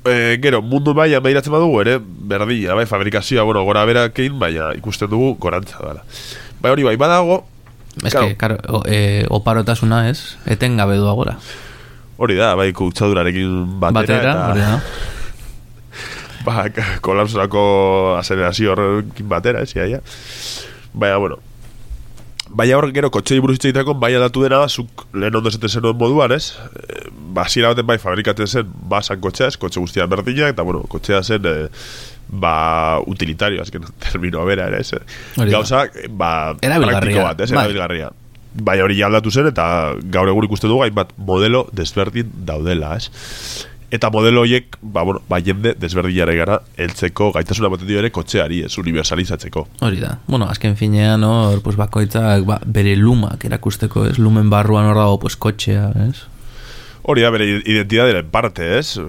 E, gero, mundu maila behiratzen badugu ere, berdina, bai, fabrikazioa, bueno, gora berakein, baina ikusten dugu gorantza dela. Bai, hori bai, badago... Ez que, karo, e, oparotasuna ez, etengabe du agora. Hori da, bai, kutsadurarekin batera, batera eta... Hori da. Ba, kolapsorako asenerazio horrekin batera, ez, iaia. Baina, bueno... Baina hor, gero, kotxei buruz itzaitako, baina datu dena, zuk lehen ondo esaten zenuen moduan, ez? E, ba, zira baten bai, fabrikatzen zen, ba, san kotxea, ez, kotxe guztia berdina, eta, bueno, kotxea zen, e, ba, utilitario, azken termino bera, ere, ez? Gauza, ba, praktiko bat, ez, erabilgarria. Bai, hori aldatu zen, eta gaur egun ikusten dugu, hainbat modelo desberdin daudela, ez? Eta modelo horiek, ba, bueno, ba, jende desberdinare gara heltzeko gaitasuna ematen dio ere kotxeari, ez, universalizatzeko. Hori da. Bueno, azken finean, no, pues, bakoitzak ba, bere lumak erakusteko, ez? Lumen barruan hor dago, pues, kotxea, ez? Hori da, bere identidaderen parte, ez?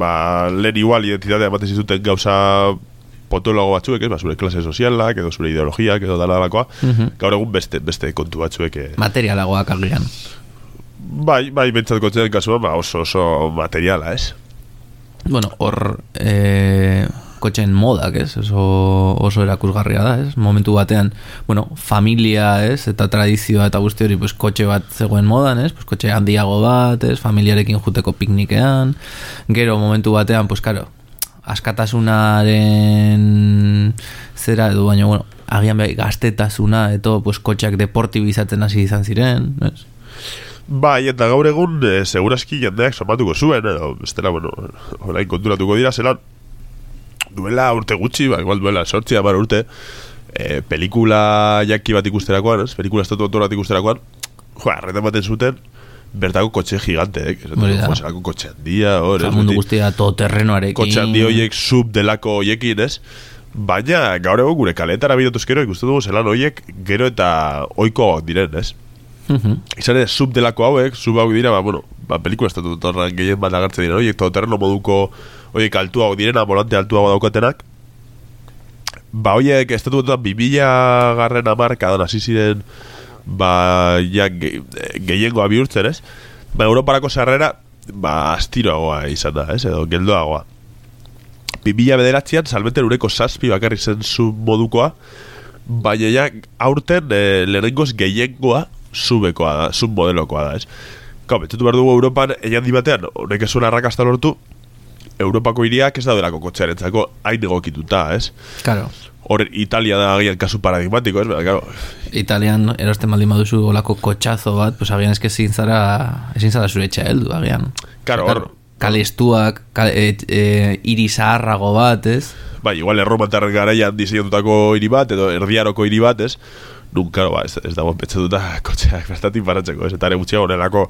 Ba, lehen igual identidadea ematen zituten gauza potologo batzuek, ez? Ba, zure klase sozialak, edo zure ideologiak, edo dalalakoa. Uh-huh. Gaur egun beste, beste kontu batzuek. Eh... Materialagoak agian. Bai, bai, bentsat kotxean kasuan, ba, oso, oso materiala, ez? Bueno, hor e, kotxen modak, ez? Oso, oso erakusgarria da, ez? Momentu batean, bueno, familia, ez? Eta tradizioa eta guzti hori, pues, kotxe bat zegoen modan, ez? Pues, kotxe handiago bat, ez? Familiarekin juteko piknikean. Gero, momentu batean, pues, karo, askatasunaren zera edo, baina, bueno, agian behar gaztetasuna, eto, pues, kotxeak deportibizatzen hasi izan ziren, ez? Bai, eta gaur egun e, segurazki jendeak somatuko zuen, edo, bestela, bueno, orain konturatuko dira, zelan, duela urte gutxi, ba, igual duela sortzi, amar urte, e, pelikula jaki bat ikusterakoan, ez? Pelikula estatu autor bat ikusterakoan, joa, arreta baten zuten, bertako kotxe giganteek, ez? Joa, zelako kotxe handia, hor, ez? Mundu guztia todoterrenoarekin. Kotxe handi horiek, sub delako horiekin, ez? Baina, gaur egun gure kaletara bidotuzkero, ikusten dugu zelan horiek gero eta oikoak diren, ez? Uh-huh. Izan ere, sub delako hauek, sub hauek dira, ba, bueno, ba, pelikula estatu torran gehien bat agertzen dira, oiek todoterreno moduko, oiek altuago direna, volante altuago daukatenak, ba, oiek estatu todotan bimila garren amarkadan hasi ziren, ba, ja, ge, gehiengoa bihurtzen, ez? Ba, Europarako sarrera, ba, astiroagoa izan da, ez? Edo, geldoagoa. bimila bederatzean, salmenten ureko zazpi bakarri zen zu modukoa, baina ja, aurten e, lehenengoz gehiengoa zubekoa da, zub modelokoa da, ez? Kau, betxetu behar dugu Europan, egin di batean, honek ez zuen arrakasta lortu, Europako hiriak ez daudelako kotxearentzako hain egokituta, ez? Claro. Horren, Italia da agian kasu paradigmatiko, ez? Bera, claro. Italian erosten baldin baduzu olako kotxazo bat, pues agian eske ezin zara, ezin zara zure etxea heldu, agian. Claro, hor. Kale estuak, kale, e, e, hiri zaharrago bat, ez? Bai, igual erromantarren garaian diseinatutako hiri bat, edo erdiaroko hiri bat, ez? Nun, karo, ba, ez, ez dago petxetuta kotxeak bertatik paratzeko, ez? Eta ere gutxiago honelako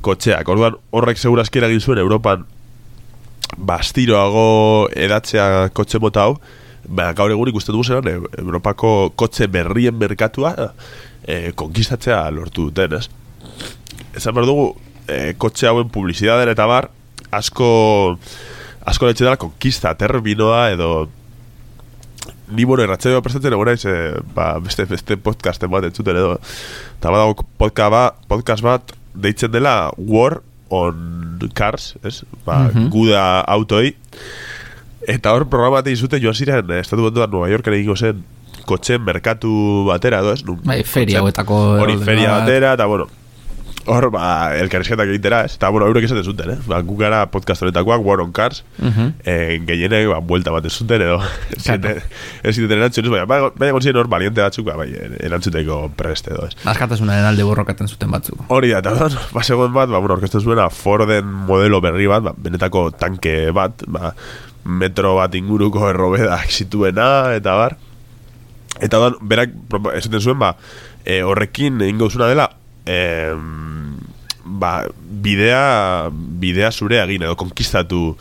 kotxeak. Orduan, horrek segurazki eragin zuen Europan bastiroago edatzea kotxe mota hau, ba, gaur egun ikusten dugu zelan, e, Europako kotxe berrien merkatua e, konkistatzea lortu duten, ez? Ezan behar dugu, e, kotxe hauen publizidaden eta bar, asko asko letxe dela konkista terminoa edo ni bueno erratxeoa prestatzen egon naiz eh, ba, beste, beste podcasten bat entzuten edo eta badago podcast bat, podcast bat deitzen dela War on Cars, ez? Ba, mm-hmm. Guda autoi eta hor programa bat izute joan ziren eh, estatu bat Nueva Yorken egingo zen kotxen merkatu batera edo, ez? Nun, bai, feria hauetako hori feria batera eta bueno hor, ba, elkarrizketak egitera, ez? Eta, bueno, eurek esaten zuten, eh? Ba, gu gara podcast honetakoak, War on Cars, uh-huh. eh, gehienek, ba, buelta bat ez zuten, edo, claro. Ez zuten erantzun, baina, baina, baina gontzien hor, valiente batzuk, ba, bai, erantzuteko preste, edo, ez? Askatasunaren alde borrokaten zuten batzuk. Hori da, eta, ba, segon bat, ba, bueno, orkestu zuena Forden modelo berri bat, ba, benetako tanke bat, ba, metro bat inguruko errobedak zituena, eta bar. Eta, da, berak, esaten zuen, ba, e, horrekin egingo zuna dela, Eh, ba, bidea bidea zure egin edo konkistatu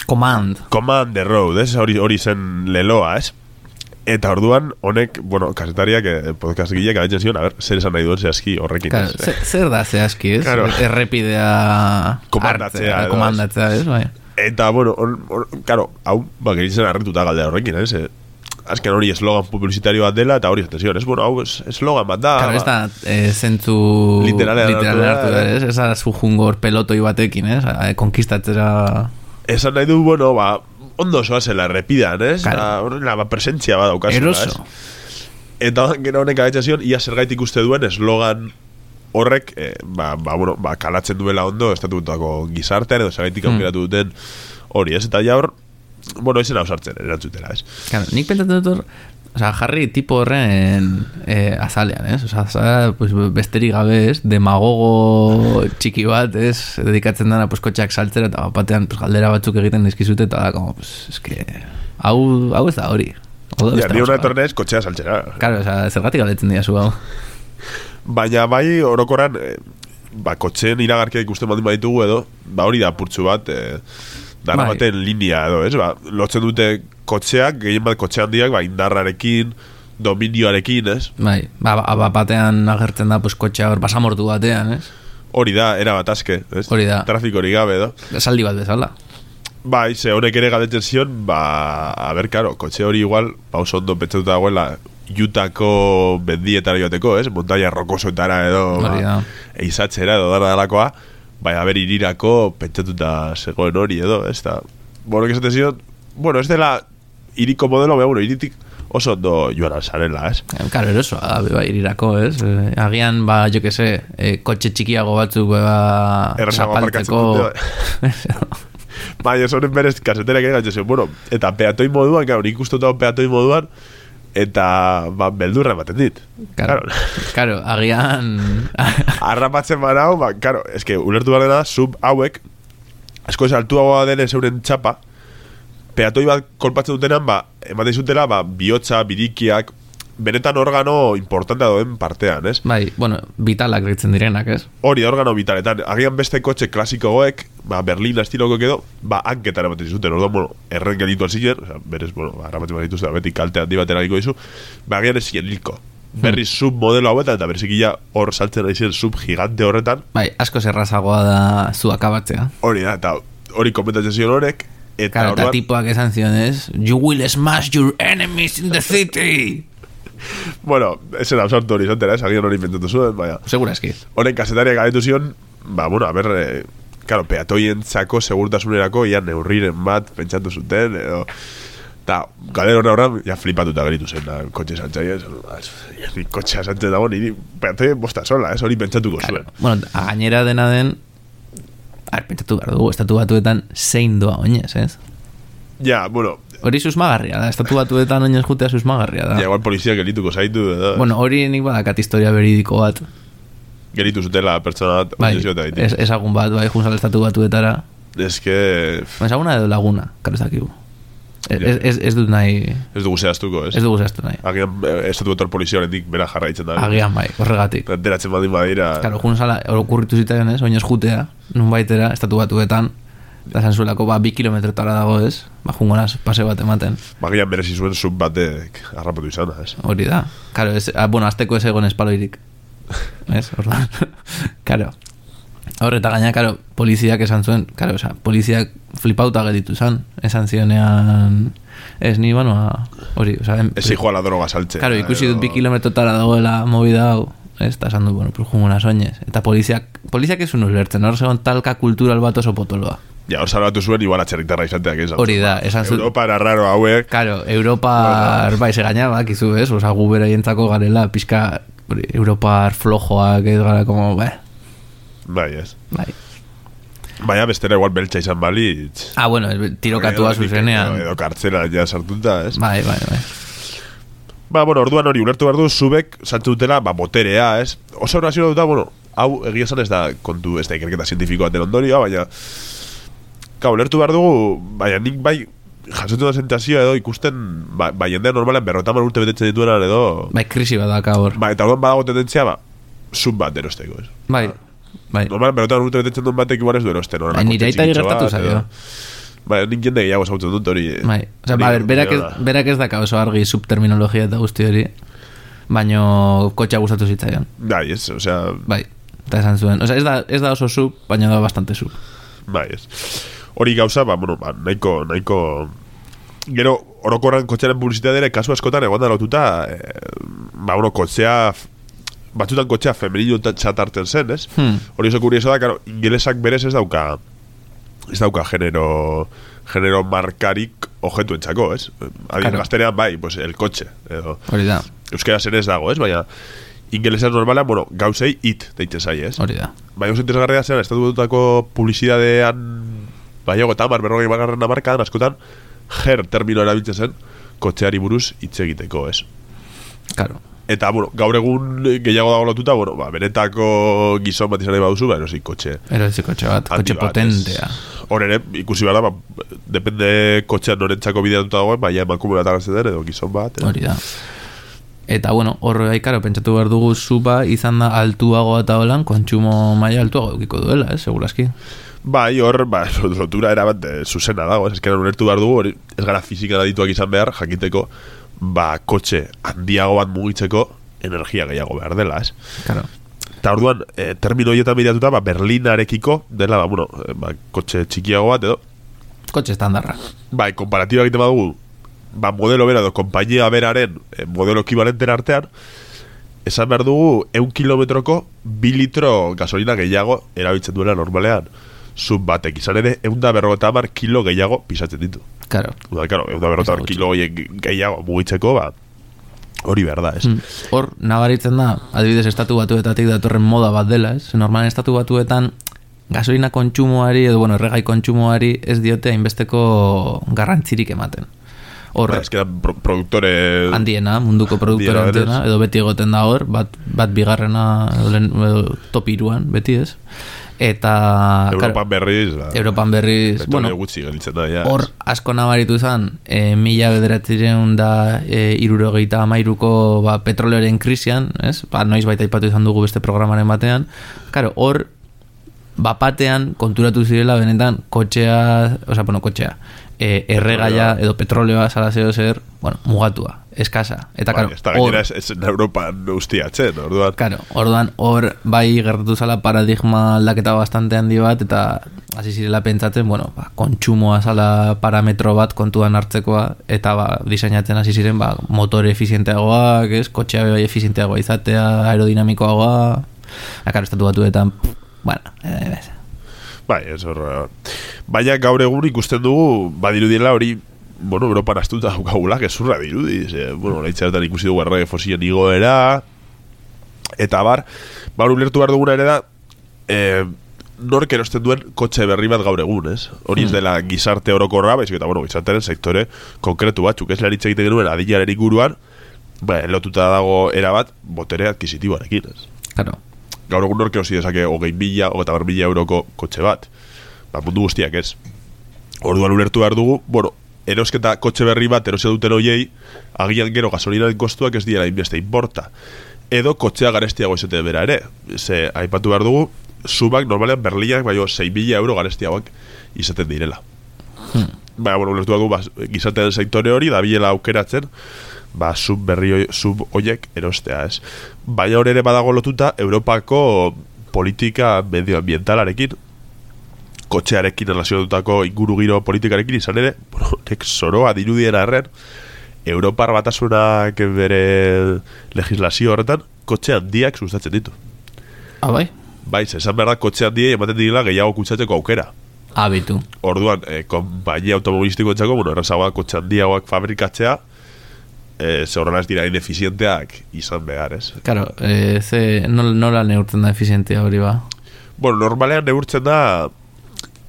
Command Command the road, ez? Hori, hori zen leloa, ez? Eta orduan, honek, bueno, kasetariak eh, podcast gileak adetzen zion, a ver, zer esan nahi duen zehazki horrekin, claro, ez? Zer da zehazki, ez? Claro. Errepidea komandatzea, hartzea, komandatzea, ez? Bai. Eta, bueno, on, on, claro, hau, ba, geritzen arretuta galdea horrekin, ez? Azken hori eslogan publizitario bat dela eta hori atención, es bueno, hau eslogan bat da. Claro, ez da eh, zentzu literalean hartu da, ez? Ez da zujungor pelotoi batekin, ez? Konkistatzera... Esan nahi du, bueno, ba, ondo soazela errepidan, ez? Claro. La, ba, presentzia bat daukazela, eroso. Eta gero honek agetxazion, ia zergaitik uste duen eslogan horrek, eh, ba, ba, bueno, ba, kalatzen duela ondo estatutako gizartean edo zergaitik aukeratu duten hori, ez? Eta ja hor, bueno, ezen hau sartzen erantzutela, ez? Claro, nik pentsatzen dut hor, o sea, jarri tipo horren eh, azalean, ez? O sea, azalea, pues, besterik gabe, ez? Demagogo txiki bat, ez? Dedikatzen dana, pues, kotxeak saltzera, eta batean, pues, galdera batzuk egiten dizkizute, eta da, como, pues, es que... Hau, hau ez da hori. Ja, ni hona etornez, kotxea saltzera. Claro, o sea, zergatik galdetzen dira zu hau. Baina, bai, orokorran, eh, ba, kotxeen iragarkia ikusten baldin baditugu edo, ba, hori da purtsu bat, eh, dara bai. Baten linea edo, ez? Ba, lotzen dute kotxeak, gehien bat kotxe handiak, ba, indarrarekin, dominioarekin, ez? Bai, ba, ba, batean agertzen da, pues, kotxea hor basamortu batean, ez? Hori da, era bat aske, ez? Hori da. Trafiko hori gabe, edo? Esaldi bat bezala. Bai, ze honek ere galdetzen zion, ba, a ber, karo, kotxe hori igual, pa, oso ondo pentsatuta dagoela, Utako bendietara joateko, ez? Montaia rokosoetara edo, ba, eizatzera edo dara dalakoa, bai, haber irirako pentsatuta zegoen hori edo, ez da. Bueno, que esaten zion, bueno, ez dela iriko modelo, beha, bueno, iritik oso ondo joan alzarela, ez? Claro, eroso, bai, irirako, ez? Eh, agian, ba, jo que se, eh, kotxe txikiago batzuk, ba, zapaltzeko... Bai, ez honen berez kaseterak egin gaitxezio, bueno, eta peatoi moduan, claro, nik ustotau peatoi moduan, eta, ba, beldurra ematen dit. Claro, claro, agian... Arrapatzen barau, ba, claro, es que ulertu behar dena, sub hauek, asko ez altuagoa dene zeuren txapa, peatoi bat kolpatzen dutenan, ba, ematen zutela, ba, bihotza, birikiak, benetan organo importantea doen partean, ez? Bai, bueno, vitalak ditzen direnak, ez? Hori, organo vitaletan. Agian beste kotxe klasikogoek, ba, Berlin estiloko edo, ba, hanketan ematen zuten, orduan, bueno, erren gelitu alzien, o sea, berez, bueno, ba, ramatzen bat dituzte, beti kalte handi bat eragiko dizu, ba, agian ez zien hilko. berri sub modelo hauetan, eta berrizikila hor saltzen ari zen sub gigante horretan. Bai, asko zerrazagoa da zu akabatzea. Hori da, eta hori komentatzen zion horrek, eta claro, orduan... Eta tipoak esan zionez, you will smash your enemies in the city. Bueno, esen absortu hori zantera, esagian hori inventatu zuen, baina... Segura eski. Horen kasetariak galetu zion, ba, bueno, a ber, eh, claro, peatoien zako segurtasunerako, ia neurriren bat pentsatu zuten, edo... Eta, galen horre horrean, ja flipatuta geritu zen, da, kotxe santzai, ez, ni kotxea santzai dago, niri peatoien bosta sola, ez, hori pentsatuko zuen. Claro. Bueno, a gainera dena den, a ver, pentsatu behar dugu, estatu batuetan zein doa oinez, ez? Ja, bueno... Hori susmagarria da, estatu batuetan oinez jutea susmagarria da. Ja, igual polizia gelituko zaitu, edo... Bueno, hori nik badakat historia beridiko bat. Geritu zutela pertsona bat, bai, ez, ezagun bat, bai, junzal estatu batuetara. Ez que... Ezaguna edo laguna, karo ez dakigu. Ez, ez, ez dut nahi... Ez dugu zehaztuko, ez? Ez dugu zehaztu nahi. Agian, estatu bator polizia horretik bera jarraitzen da. Agian bai, horregatik. Deratzen badin badira... Karo, junzala, okurritu zitaien ez, oinez jutea, nun baitera, estatu batuetan, da zanzuelako, ba, bi kilometrotara dago ez, ba, jungonaz, pase bat ematen. Bagian berezi zuen sub batek harrapatu izana, ez? Hori da. Karo, ez, a, bueno, azteko ez egon espaloirik. Ez, orduan. Karo. Horreta gaina, karo, poliziak esan zuen, karo, oza, poliziak flipauta geditu zan, esan zionean, ez ni, bueno, hori, oza... Ez hijo a la droga saltze. Karo, ikusi dut bi kilometrotara dagoela movida hau, ez, eta esan dut, bueno, pues junguna soñez. Eta poliziak, poliziak ez unu lertzen, hor segon talka kultural bat oso potoloa. Ja, hor salbatu zuen, igual atxerritarra izateak esan. Hori da, esan zuen. Europa era raro hauek. Karo, Europa, bueno, bai, se gaina, bakizu, ez, oza, gu beraientzako garela, pixka, Europa flojoak, ez gara, como, bai. Bai, ez. Bai. Baina bestera igual beltza izan balitz. Ah, bueno, tirokatua zuzenean. Edo kartzela ja sartuta, ez? Bai, bai, bai. Ba, bueno, orduan hori ulertu behar du, zubek saltu dutela, ba, boterea, ez? Oso horazio duta, bueno, hau egia esan ez da kontu, ez da ikerketa zientifikoa den ondorioa, baina ka, ulertu behar dugu, baina nik bai jasotu da sentazioa edo ikusten, ba, ba jendea normalen berrotaman urte betetzen dituenan edo... Bai, krisi bat daka hor. Ba, eta orduan badago tendentzia, ba, sub bat erosteko, ez? Bai, bai. Normalen berrotaman urte betetzen duen batek igual ez du erosten, no? Bai, nire aita gertatu zaio. Bai, nik jende gehiago zautzen dut hori. Bai, oza, ba, ber, berak, ez, berak ez daka oso argi subterminologia eta guzti hori, baino kotxa gustatu zitzaion. Bai, ez, osea... Bai, eta esan zuen. Oza, ez da, ez da oso sub, baina da bastante sub. Bai, ez. Hori gauza, ba, bueno, ba, nahiko, nahiko... Gero, orokorran kotxearen publizitatea ere, kasu askotan egon da lotuta, eh, ba, bueno, kotxea... Batzutan kotxea femenino txatarten zen, ez? Hmm. Hori oso kurioso da, karo, ingelesak berez ez dauka... Ez dauka genero... Genero markarik ojetu entzako, ez? Adien claro. Gaztenean, bai, pues, el kotxe. Edo, hori da. Euskera zen ez dago, ez? Baina... Ingelesak normalean, bueno, gauzei it deitzen zai, ez? Hori da. Baina oso interesgarria zen, estatu dutako publizidadean... Baiago eta mar, berrogei bagarren amarkadan, askotan... Ger termino erabiltzen zen, kotxeari buruz hitz egiteko, ez? Claro. Eta, bueno, gaur egun gehiago dago lotuta, bueno, ba, benetako gizon bat izan nahi baduzu, ba, erosi kotxe. Erosi kotxe bat, kotxe potentea. Hor ere, ikusi behar da, ba, depende kotxean norentzako bideatuta dagoen, baina emakumela tagatzen den, edo gizon bat. Edo. Hori da. Eta, bueno, horre haikaro, pentsatu behar dugu zupa izan da altuago eta holan, kontsumo maila altuago eukiko duela, eh, seguraski. Bai, hor, ba, lotura erabat eh, zuzena dago, ez eskeran ulertu behar dugu, hori, ez gara fizika adituak izan behar, jakiteko, ba, kotxe handiago bat mugitzeko energia gehiago behar dela, ez? Claro. Eta orduan, eh, termino horietan bideatuta, ba, Berlinarekiko dela, ba, bueno, ba, kotxe txikiago bat, edo? Kotxe estandarra. Bai, komparatiba egiten badugu, ba, modelo bera edo, kompainia beraren eh, modelo ekivalenten artean, esan behar dugu, eun kilometroko, bi litro gasolina gehiago erabiltzen duela normalean. Sub batek izan ere, egun da berrogeta hamar kilo gehiago pisatzen ditu. Claro. Uda, claro, egun da berrogeta hamar kilo gehiago mugitzeko, ba, hori behar da, ez? Mm. Hor, nabaritzen da, adibidez estatu batuetatik datorren moda bat dela, ez? Normalen estatu batuetan gasolina kontsumoari, edo, bueno, erregai kontsumoari ez diote hainbesteko garrantzirik ematen. Hor, ba, eskera, pro produktore... Handiena, munduko produktore handiena, edo beti egoten da hor, bat, bat bigarrena, edo, edo top iruan, beti ez? Eta Europan berriz ba, Europan berriz bueno, gutxi gelitzen da, ja. Hor asko nabaritu zan e, mila bederatzireun da e, irurogeita amairuko ba, petroleoren krisian, ez? Ba, noiz baita ipatu izan dugu beste programaren batean. Karo, hor bapatean konturatu zirela benetan kotxea, osea, bueno, kotxea, e, erregaia edo petroleoa zara zeo zer, bueno, mugatua, eskasa. Eta, bai, karo, ez da gainera ez, ez Europan ustiatzen, orduan. Karo, orduan, hor bai gertatu zala paradigma aldaketa bastante handi bat, eta hasi zirela pentsatzen, bueno, ba, kontsumoa zala parametro bat kontuan hartzekoa, eta ba, diseinatzen hasi ziren, ba, motore efizienteagoak, ez, kotxea bai efizienteagoa izatea, aerodinamikoagoa, akaro, estatu batuetan, bueno, eh, bai, ez hor. Baina gaur egun ikusten dugu, badirudiela hori, bueno, Europan astuta daukagula, gezurra dirudi, ze, bueno, laitzaretan ikusi dugu errege fosilen igoera, eta bar, ba, hori ulertu behar duguna ere da, eh, nork erosten duen kotxe berri bat gaur egun, ez? Hori ez dela gizarte orokorra, baizik eta, bueno, gizartearen sektore konkretu batzuk, ez laritza egiten genuen adilaren inguruan, ba, lotuta dago erabat, botere adkisitiboarekin, ez? Claro. Gaur egun nork erosi dezake hogei mila, hogeita hamar mila euroko kotxe bat. Ba, mundu guztiak ez. Orduan ulertu behar dugu, bueno, erosketa kotxe berri bat erosia duten hoiei, agian gero gasolinaren kostuak ez diera inbeste importa. Edo kotxea garestiago izate bera ere. Ze, aipatu behar dugu, subak normalean Berlinak baino sei mila euro garestiagoak izaten direla. Hmm. Ba, bueno, ulertu behar dugu, ba, gizatean sektore hori, da bilela aukeratzen, ba, sub berri sub hoiek erostea, ez. Baina hor ere badago lotuta Europako politika medioambientalarekin, kotxearekin relazionatutako inguru giro politikarekin izan ere, bueno, nek zoroa dirudiera erren, Europar batasunak bere legislazio horretan, kotxe handiak sustatzen ditu. Ah, bai? Bai, esan behar da, kotxe handiei ematen direla gehiago kutsatzeko aukera. Abitu. Orduan, eh, konpainia automobilistiko entzako, bueno, errazagoa kotxe handiagoak fabrikatzea, eh, ze horrela ez dira inefizienteak izan behar, ez? Claro, eh, ze nola, nola neurtzen da efizientea hori ba? Bueno, normalean neurtzen da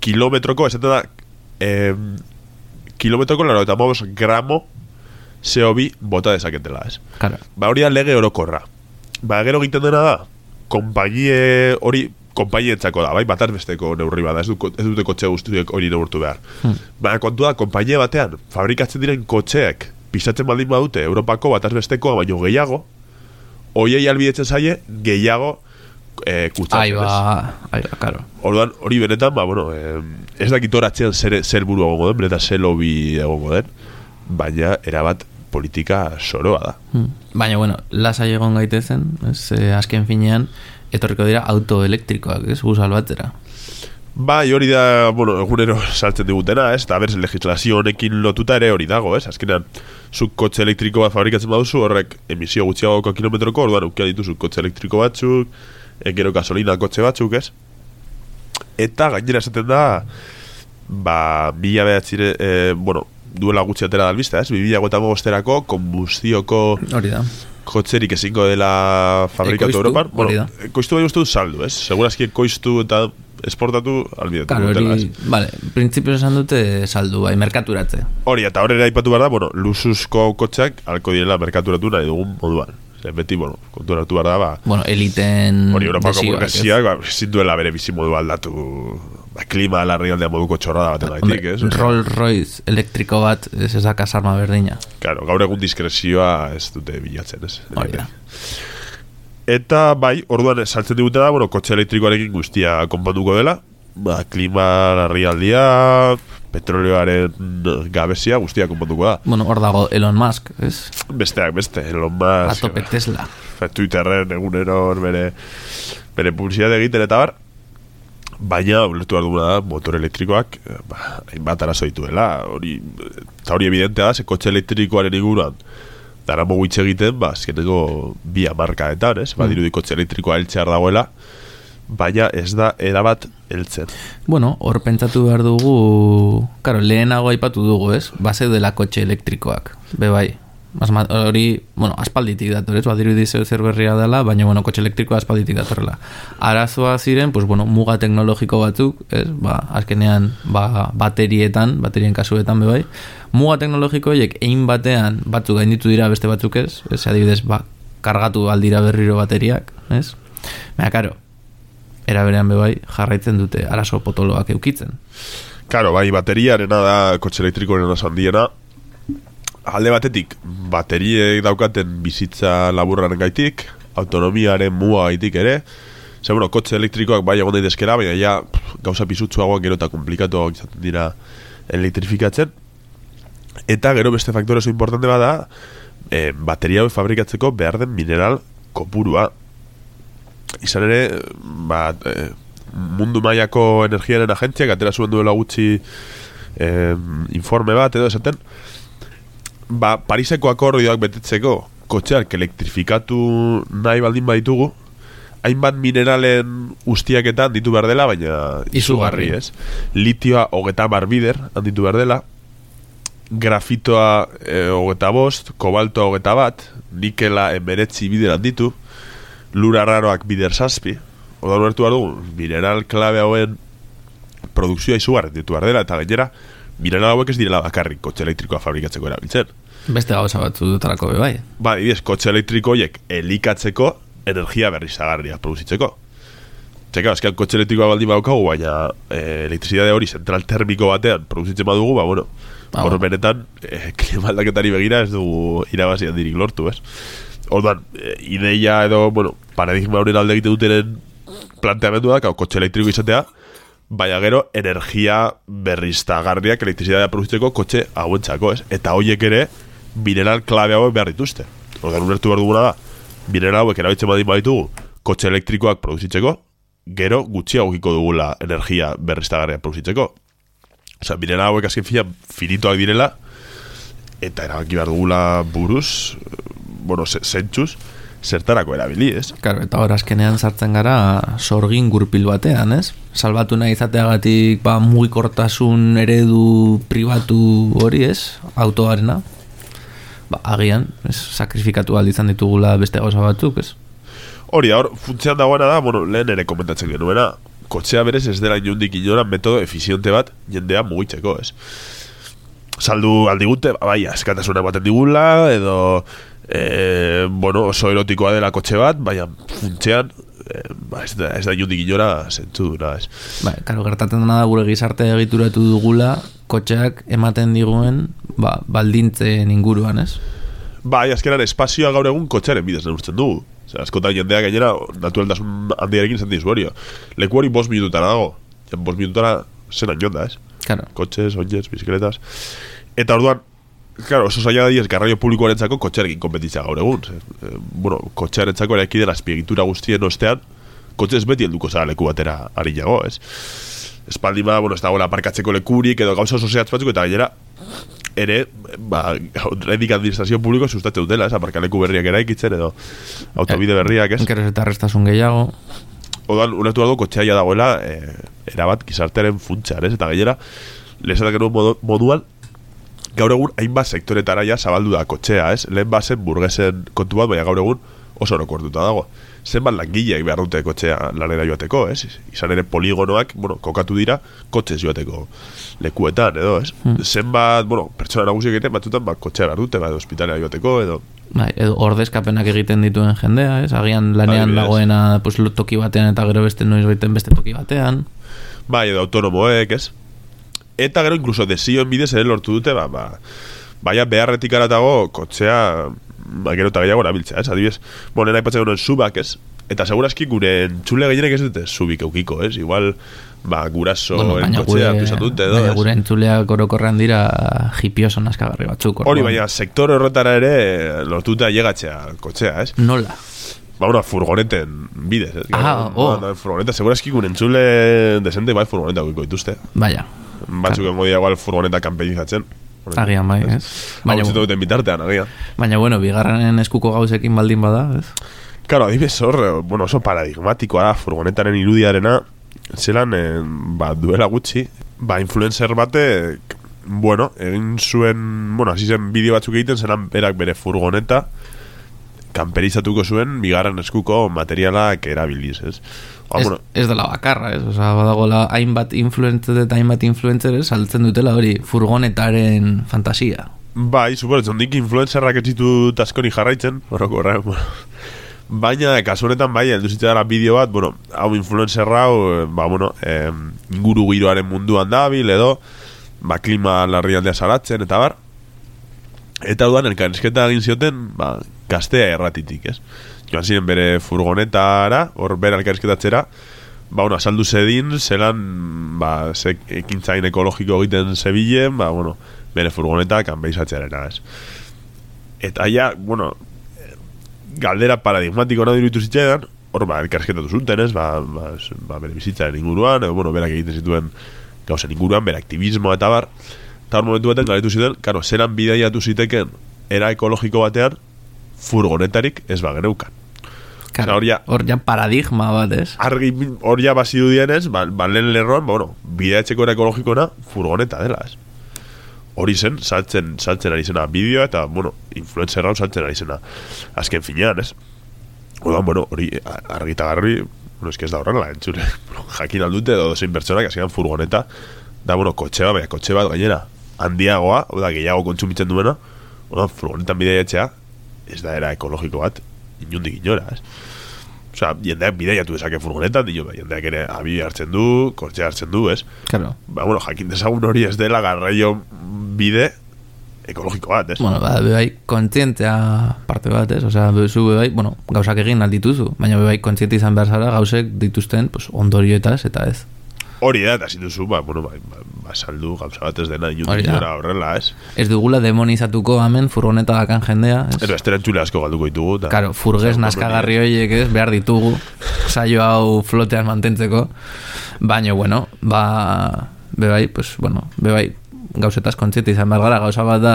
kilometroko, esaten da eh, kilometroko laro eta mobos gramo C O bi bota dezaketela, ez? Claro. Ba, hori da lege orokorra. Ba, gero egiten dena da, konpainie hori konpainientzako da, bai, bataz besteko neurri bada, ez, du, ez dute kotxe guztiak hori neurtu behar. Hmm. Ba, kontu da, konpainie batean, fabrikatzen diren kotxeek pisatzen baldin badute Europako bataz bestekoa baino gehiago, hoiei albidetzen zaie gehiago eh, kutsatzen. Aiba, aiba, karo. Orduan, hori benetan, ba, bueno, eh, ez dakit horatzean zer, zer buru egongo den, benetan zer lobby egongo den, baina erabat politika soroa da. Hmm. Baina, bueno, lasai egon gaitezen, ez, eh, azken finean, etorriko dira autoelektrikoak, ez, guzal batzera. Bai, hori da, bueno, egunero saltzen digutena, ez, eta berz, legislazio honekin lotuta ere hori dago, ez, azkenean, zuk kotxe elektriko bat fabrikatzen baduzu, horrek emisio gutxiagoko kilometroko, orduan aukia dituzu kotxe elektriko batzuk, gero gasolina kotxe batzuk, ez, eta gainera esaten da, ba, mila behatzire, e, bueno, duela gutxi atera dalbista, ez, bibila gota mogosterako, konbustioko hori da kotxerik ezingo dela fabrikatu Europan, bueno, koiztu bai uste du saldu, ez, segurazki koiztu eta esportatu albidatu. Claro, hori, vale, printzipioz esan dute saldu, bai, merkaturatze. Hori, eta horrela aipatu behar da, bueno, luxuzko kotxeak alko direla merkaturatu nahi dugun moduan. Zer, beti, bueno, konturatu behar da, ba... Bueno, eliten... Hori, Europako burgesiak, ba, zinduela bere bizi modu aldatu, ba, klima alarri aldean moduko txorrada baten gaitik, ez? Rolls Royce elektriko bat, ez ezak asarma berdina. Claro, gaur egun diskrezioa ez dute bilatzen, ez? Hori da. Eta bai, orduan saltzen digute da, bueno, kotxe elektrikoarekin guztia konponduko dela, ba, klima larrialdia, petroleoaren gabezia guztia konponduko da. Bueno, hor dago Elon Musk, ez? Besteak beste, Elon Musk. Atope Tesla. Twitterren egunero bere, bere publizitate egiten eta bar, baina, ulertu behar duguna da, motor elektrikoak, ba, hainbat arazo dituela, hori, eta hori evidentea da, ze kotxe elektrikoaren inguruan, dara mogu hitz egiten, ba, azkeneko bi hamarkadetan, ez? Ba, dirudi kotxe elektrikoa heltzear dagoela, baina ez da erabat heltzen. Bueno, hor pentsatu behar dugu, karo, lehenago aipatu dugu, ez? Base dela kotxe elektrikoak, be bai. Hori, bueno, aspalditik dator, ez? Ba, dirudi zer berria dela, baina, bueno, kotxe elektrikoa aspalditik datorrela. Arazoa ziren, pues, bueno, muga teknologiko batzuk, ez? Ba, azkenean, ba, baterietan, baterien kasuetan, be bai. Muga teknologikoiek egin batean batzuk gainditu dira beste batzuk ez, ez adibidez, ba, kargatu aldira berriro bateriak, ez? Baina, karo, eraberean bebai jarraitzen dute arazo potoloak eukitzen. Karo, bai, bateriarena da kotxe elektrikoaren handiena. Alde batetik, bateriek daukaten bizitza laburraren gaitik, autonomiaren muga gaitik ere, Ze, bueno, kotxe elektrikoak bai egon daitezkera, baina ja pff, gauza pisutsuagoak gero eta komplikatuagoak izaten dira elektrifikatzen. Eta gero beste faktore oso importante bada, e, bateria hau fabrikatzeko behar den mineral kopurua. Izan ere, ba, e, mundu mailako energiaren agentziak atera zuen duela gutxi e, informe bat edo esaten, ba, Pariseko akordioak betetzeko kotxeak elektrifikatu nahi baldin baditugu, hainbat mineralen ustiaketan ditu behar dela, baina izugarri, ez? Litioa hogeta mar bider handitu behar dela, grafitoa e, hogeta bost, kobaltoa hogeta bat, nikela emeretzi bider handitu, lura raroak bider zazpi, oda ulertu behar dugu, mineral klabe hauen produkzioa izugarri ditu behar dela, eta gainera, mineral hauek ez direla bakarrik kotxe elektrikoa fabrikatzeko erabiltzen. Beste gauza batzu dutarako be bai. Ba, idez, kotxe elektriko horiek elikatzeko energia berriztagarria produzitzeko. Txeka, azkean kotxe elektrikoa baldin badaukagu, baina e, elektrizidade hori zentral termiko batean produzitzen badugu, ba, bueno, ah, hor benetan e, klima aldaketari begira ez dugu irabazi handirik lortu, ez? Orduan, e, ideia edo, bueno, paradigma horien alde egite dutenen planteamendua da, kotxe elektriko izatea, baina gero energia berriztagarriak elektrizidadea produzitzeko kotxe hauentzako, ez? Eta horiek ere mineral klabe hauek behar dituzte. Orduan, ulertu behar duguna da, mineral hauek erabiltzen badin baditugu kotxe elektrikoak produzitzeko, gero gutxiagokiko dugula energia berriztagarria produzitzeko. Osea, mineral hauek azken fina finitoak direla, eta erabaki behar dugula buruz, bueno, zentzuz, zertarako erabili, ez? Claro, eta hor azkenean sartzen gara sorgin gurpil batean, ez? Salbatu nahi izateagatik ba, mugikortasun eredu pribatu hori, ez? Autoarena. Ba, agian, ez? Sakrifikatu aldizan ditugula beste gauza batzuk, ez? Hori da, hor, funtzean dagoena da, bueno, lehen ere komentatzen genuena, kotxea berez ez dela inundik inora metodo efiziente bat jendea mugitzeko, ez? Saldu aldigute, ba, bai, askatasuna ematen digula, edo E, bueno, oso erotikoa dela kotxe bat, baina funtzean e, ba, ez da, ez da inundik inora zentzu duna, ez? Ba, karo, gertatzen dena da gure gizarte egituratu dugula kotxeak ematen diguen ba, baldintzen inguruan, ez? Bai, azkenan espazioa gaur egun kotxearen bidez neurtzen dugu. Osea, askotan jendea gainera naturaltasun handiarekin zen dizuario. Leku hori bost minutara dago. Ja, bost minutara zen anjonda, ez? Claro. Kotxes, oinez, bizikletas. Eta orduan, claro, oso zaila diez garraio publikoarentzako kotxearekin kompetitzea gaur egun. E, bueno, kotxearentzako eraiki den azpiegitura guztien ostean, kotxe ez beti helduko zara leku batera harinago, ez? Espaldi ba, bueno, ez dagoela aparkatzeko lekurik edo gauza oso zehatz batzuk, eta gainera ere, ba, redik administrazio publiko sustatzen dutela, ez? Aparkaleku berriak eraikitzen edo autobide berriak, ez? Enkeres eta arrestasun gehiago. Odan, ulertu dago kotxeaia dagoela e, erabat gizartearen funtsean, ez? Eta gainera, lehesatak genuen modu, moduan, gaur egun hainbat sektoretara ja zabaldu da kotxea, ez? Lehen bazen burgesen kontu bat, baina gaur egun oso orokortuta dago. Zenbat langileak behar dute kotxea lanera joateko, ez? Izan ere poligonoak, bueno, kokatu dira kotxez joateko lekuetan, edo, ez? Hmm. Zenbat, bueno, pertsona nagusiak egiten batzutan, ba, kotxea behar dute, ba, edo hospitalera joateko, edo... Bai, edo ordezkapenak egiten dituen jendea, ez? Agian lanean bai, dagoena pues, toki batean eta gero beste noiz baiten beste toki batean. Bai, edo autonomoek, ez? Eta gero inkluso desioen bidez ere lortu dute, ba, ba, baina beharretik aratago kotxea, ba, gero eta gehiago erabiltzea, ez? Adibidez, bueno, nena ipatzen genuen subak, ez? Eta segurazki gure entzule gehienek ez dute subik eukiko, ez? Igual, ba, guraso bueno, en kotxea hartu izan dute, edo, baina gure entzuleak orokorrean dira hipioso naskagarri batzuk. Hori, baina sektor horretara ere lortu dute ailegatzea kotxea, ez? Nola? Ba, una furgoneten bidez, ez? Ah, oh. Ba, furgoneta, segurazki gure entzule desente, bai, furgoneta eukiko dituzte. Baina. Batzuk engo dira igual furgoneta kanpeinizatzen. Agian, bai, ez? Baina, duten bitartean, agian. Baina, bueno, bigarren eskuko gauzekin baldin bada, ez? Claro, adibidez hor, bueno, oso paradigmatikoa da furgonetaren irudiarena, zelan, eh, ba, duela gutxi, ba, influencer bate, bueno, egin zuen, bueno, hasi zen bideo batzuk egiten, zelan berak bere furgoneta, kanperizatuko zuen, bigarren eskuko materialak erabiliz, ez? Ba, ez, bueno, ez dela bakarra, ez? Osa, badagoela hainbat influencer eta hainbat influencer saltzen dutela hori furgonetaren fantasia. Bai, suporetzen, dik influencerrak ez ditut askoni jarraitzen, horroko horra, bueno. Baina, kasu honetan, bai, elduzitzen dara bideo bat, bueno, hau influencer hau, ba, bueno, eh, inguru giroaren munduan dabil, edo, ba, klima larrialdea salatzen, eta bar. Eta dudan, elkarrizketa egin zioten, ba, gaztea erratitik, ez? joan ziren bere furgonetara, hor bere elkarrizketatzera, ba, bueno, asaldu zedin, zelan, ba, ze ekintzain ekologiko egiten zebilen, ba, bueno, bere furgonetak anbeizatzearena, ez. Eta ja, bueno, galdera paradigmatiko nahi dirutu zitzaidan, hor, ba, elkarrizketatu zuten, ez, ba, ba, ba, bere bizitzaren inguruan, edo, bueno, berak egiten zituen gauzen inguruan, bere aktivismoa eta bar, eta hor momentu baten galetu ziten, karo, zelan bidaiatu ziteken era ekologiko batean furgonetarik ez bageneukan. Claro, hor ja, ja paradigma bat, ez? Argi, hor ja bazidu dienez, ba, ba lehen lerroan, ba, bueno, bidaetxeko era ekologikona furgoneta dela, ez? Hori zen, saltzen, saltzen ari zena bideoa, eta, bueno, influencer hau saltzen ari zena azken finean, ez? Oda, bueno, hori argita garri, bueno, ez que ez da horrela, entzure, jakin aldute, edo zein pertsonak, azkenan furgoneta, da, bueno, kotxe bat, baina kotxe bat gainera, handiagoa, oda, gehiago kontsumitzen duena, oda, furgonetan bideetxea, ez da era ekologiko bat, inundik inora, ez? Osa, jendeak bideiatu dezake furgonetan, dino, jendeak ere abi hartzen du, kortxe hartzen du, ez? Claro. Ba, bueno, jakin dezagun hori ez dela garraio bide ekologiko bat, ez? Bueno, ba, bebai, kontzientea parte bat, ez? Osea, bezu bebai, bueno, gauzak egin aldituzu, baina bebai kontziente izan behar zara gauzek dituzten, pues, ondorioetaz, eta ez. Hori da, eta zinduzu, ba, bueno, ba, ba, ba saldu gauza bat ez dena inundik inora horrela, ez? Ez dugula demonizatuko hemen furgoneta dakan jendea, ez? Eta esteren txule asko galduko ditugu. Ta, claro, furgez naskagarri horiek, ez? Behar ditugu, saio hau flotean mantentzeko, baina, bueno, ba, bebai, pues, bueno, bebai, gauzetaz kontziente izan behar gara, gauza bat da,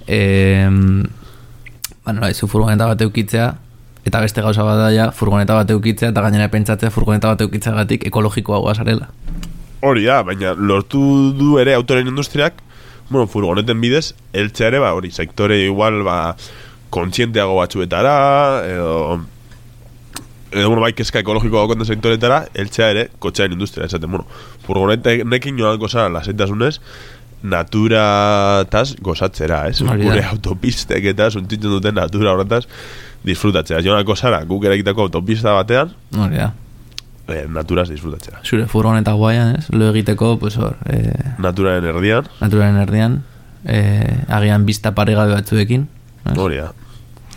eh, bueno, ez, furgoneta bat eukitzea, eta beste gauza bat da ja, furgoneta bat eukitzea, eta gainera pentsatzea furgoneta bat eukitzeagatik ekologikoa guazarela. Hori da, baina lortu du ere autoren industriak, bueno, furgoneten bidez, eltzea ere, ba, hori, sektore igual, ba, kontzienteago batzuetara, edo, edo, bueno, bai, kezka ekologikoa konten sektoretara, eltzea ere, kotxearen industria, esaten, bueno, furgonetekin joan gozara lasaitasunez, naturataz gozatzera, ez? Gure autopistek eta suntzitzen duten natura horretaz disfrutatzea. Joan gozara, guk erakitako autopista batean, hori da. Eh, naturaz disfrutatzea. Zure furgoneta guaian, ez? Lo egiteko, pues hor... Eh, naturaren erdian. Naturaren erdian. Eh, agian bizta paregabe batzuekin. Hori da.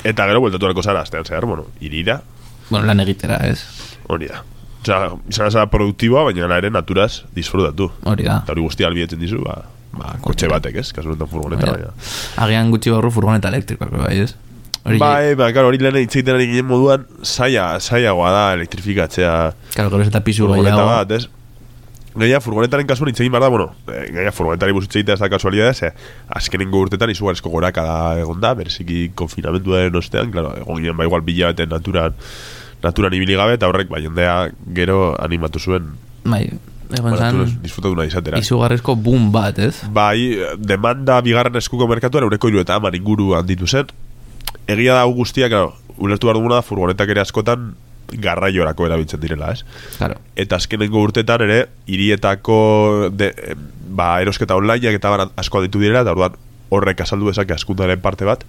Eta gero, bueltatu alko zara, aztean zehar, bueno, irira. Bueno, lan egitera, ez? Hori da. Osea, izan zara produktiboa, baina ere naturaz disfrutatu. Hori da. Eta hori guztia albietzen dizu, ba, ba kotxe batek, ez? Kasu honetan furgoneta, baina. Agian gutxi barru furgoneta elektrikoak, bai, ez? Bai, ba, claro, hori lehen itzeiten ari ginen moduan saia, saiagoa da elektrifikatzea. Claro, gero ez eta pisu furgoneta bat, ez? Gaia, furgonetaren kasuan itzein behar da, bueno, gaia, furgonetari buzitzeita ez da kasualidad, ez, azkenengo urtetan izugarrizko goraka da egon da, bereziki konfinamentuaren ostean, claro, egon ginen, ba, igual bila beten naturan, naturan ibili gabe, eta horrek, ba, jendea gero animatu zuen. Bai, egon zan, disfrutatu nahi izatera. Izugarrizko boom bat, ez? Bai, demanda bigarren eskuko merkatuan, eureko hiru eta hamar inguru handitu zen. Egia da guztia, claro, ulertu behar duguna da furgonetak ere askotan garraiorako erabiltzen direla, ez? Claro. Eta azkenengo urtetan ere, hirietako de, ba, erosketa onlineak eta bar asko ditu direla, eta orduan horrek azaldu dezake askundaren parte bat,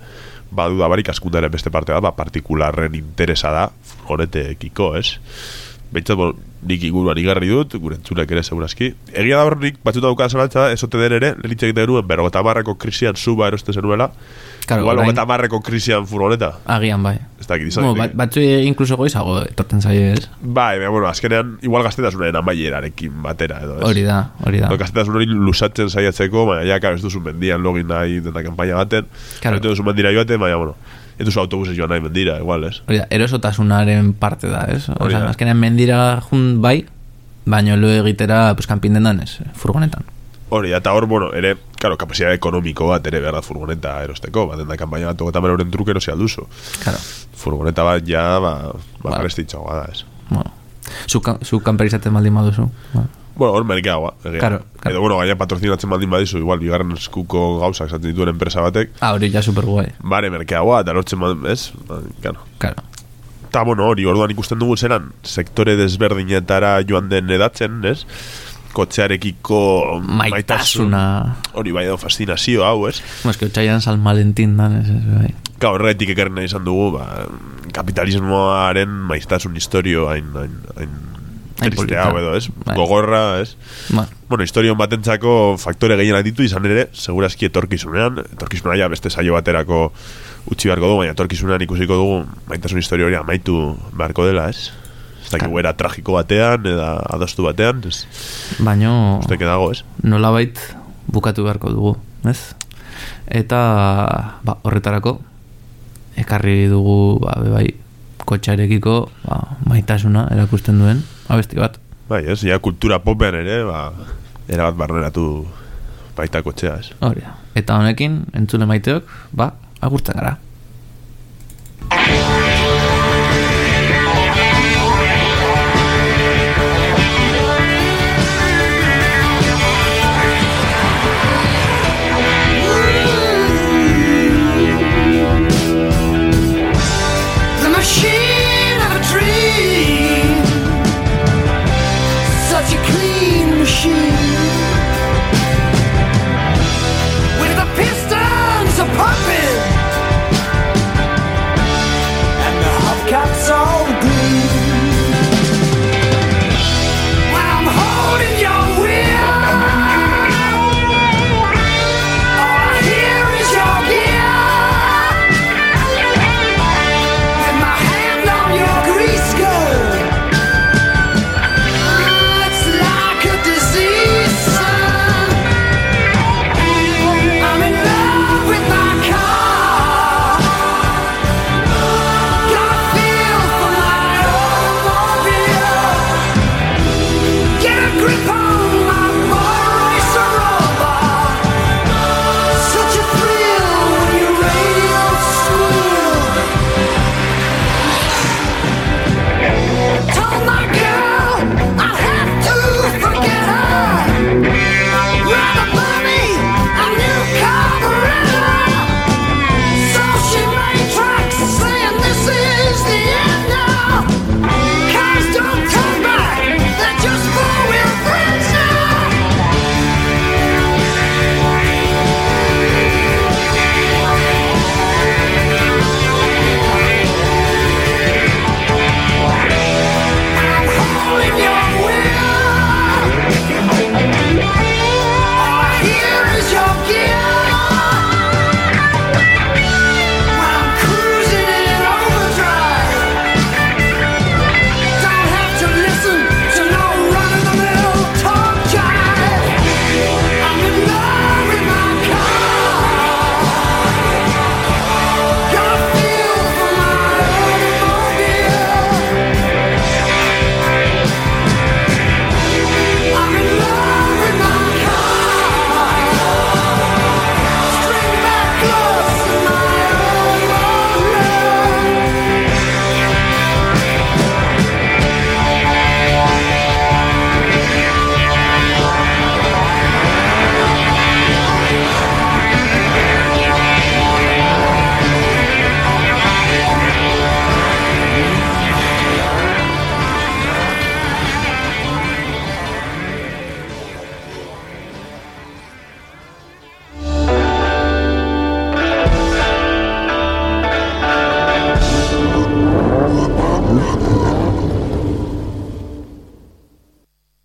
badu da barik askundaren beste parte bat, ba, partikularren interesa da furgonetekiko, ez? Behintzat, bon, nik inguruan igarri dut, gure entzulek ere segurazki. Egia da hor nik batzuta dukan zalantza, ezote den ere, lehitxek denuen, berrogeta marrako krisian suba eroste zenuela, claro, igual hogeta marreko krisian furgoneta. Agian, bai. Ez dakit izan. Bueno, batzu inkluso goizago etorten zaie, ez? Bai, bueno, azkenean, igual gaztetasunaren amaierarekin batera, edo, ez? Hori da, hori da. Gaztetasun hori lusatzen saiatzeko, baina, ja, karo, ez duzu mendian login nahi dena kampaina baten, claro. Ez duzu mendira joaten, baina, bueno, ez duzu autobuses joan nahi mendira, igual, ez? Hori da, erosotasunaren parte da, ez? Osa, azkenean mendira jun bai, baina lo egitera, pues, kanpindendan, ez? Furgonetan. Hori, eta hor, bueno, ere, claro, kapazitate ekonomiko bat ere behar da furgoneta erosteko, bat den da kampaina bat hogeita hamar euren truke erosi alduzu. Claro. Furgoneta bat ja, ba, ba bueno. Prestitxagoa da, ez. Bueno, zu, zu kamperizatzen baldin baduzu. Bueno, bueno hor merkeagoa. Claro, claro. Edo, bueno, gaina patrocinatzen baldin badizu, igual, bigarren eskuko gauzak esaten dituen enpresa batek. Ah, hori ja superguai. Bare, merkeagoa, eta lortzen baldin, ez? Ba, claro. Claro. Eta, bueno, hori, orduan ikusten dugu zeran, sektore desberdinetara joan den edatzen, ez? Kotxearekiko maitasuna hori bai edo fascinazio hau, ez? Mas que otxaian San Valentin dan, ez, ez, bai. Ka, horretik ekerren nahi izan dugu, ba, kapitalismoaren maiztasun historio hain, hain, hain triste hau edo, ez? Bai. Gogorra, ez? Ba. Bueno, historion batentzako faktore gehienak ditu izan ere, segurazki etorkizunean, etorkizunean ja beste saio baterako utzi beharko dugu, baina etorkizunean ikusiko dugu maitasun historia hori amaitu beharko dela, ez? Ez dakik era tragiko batean, eda adostu batean, ez? Baino... Uste dago, ez? Nolabait bukatu beharko dugu, ez? Eta ba, horretarako ekarri dugu ba, bai, kotxarekiko ba, maitasuna erakusten duen abesti bat. Bai, ez, ja kultura popean ere, ba, erabat barneratu baita kotxea, ez? Hori da. Eta honekin, entzule maiteok, ba, agurtzen gara.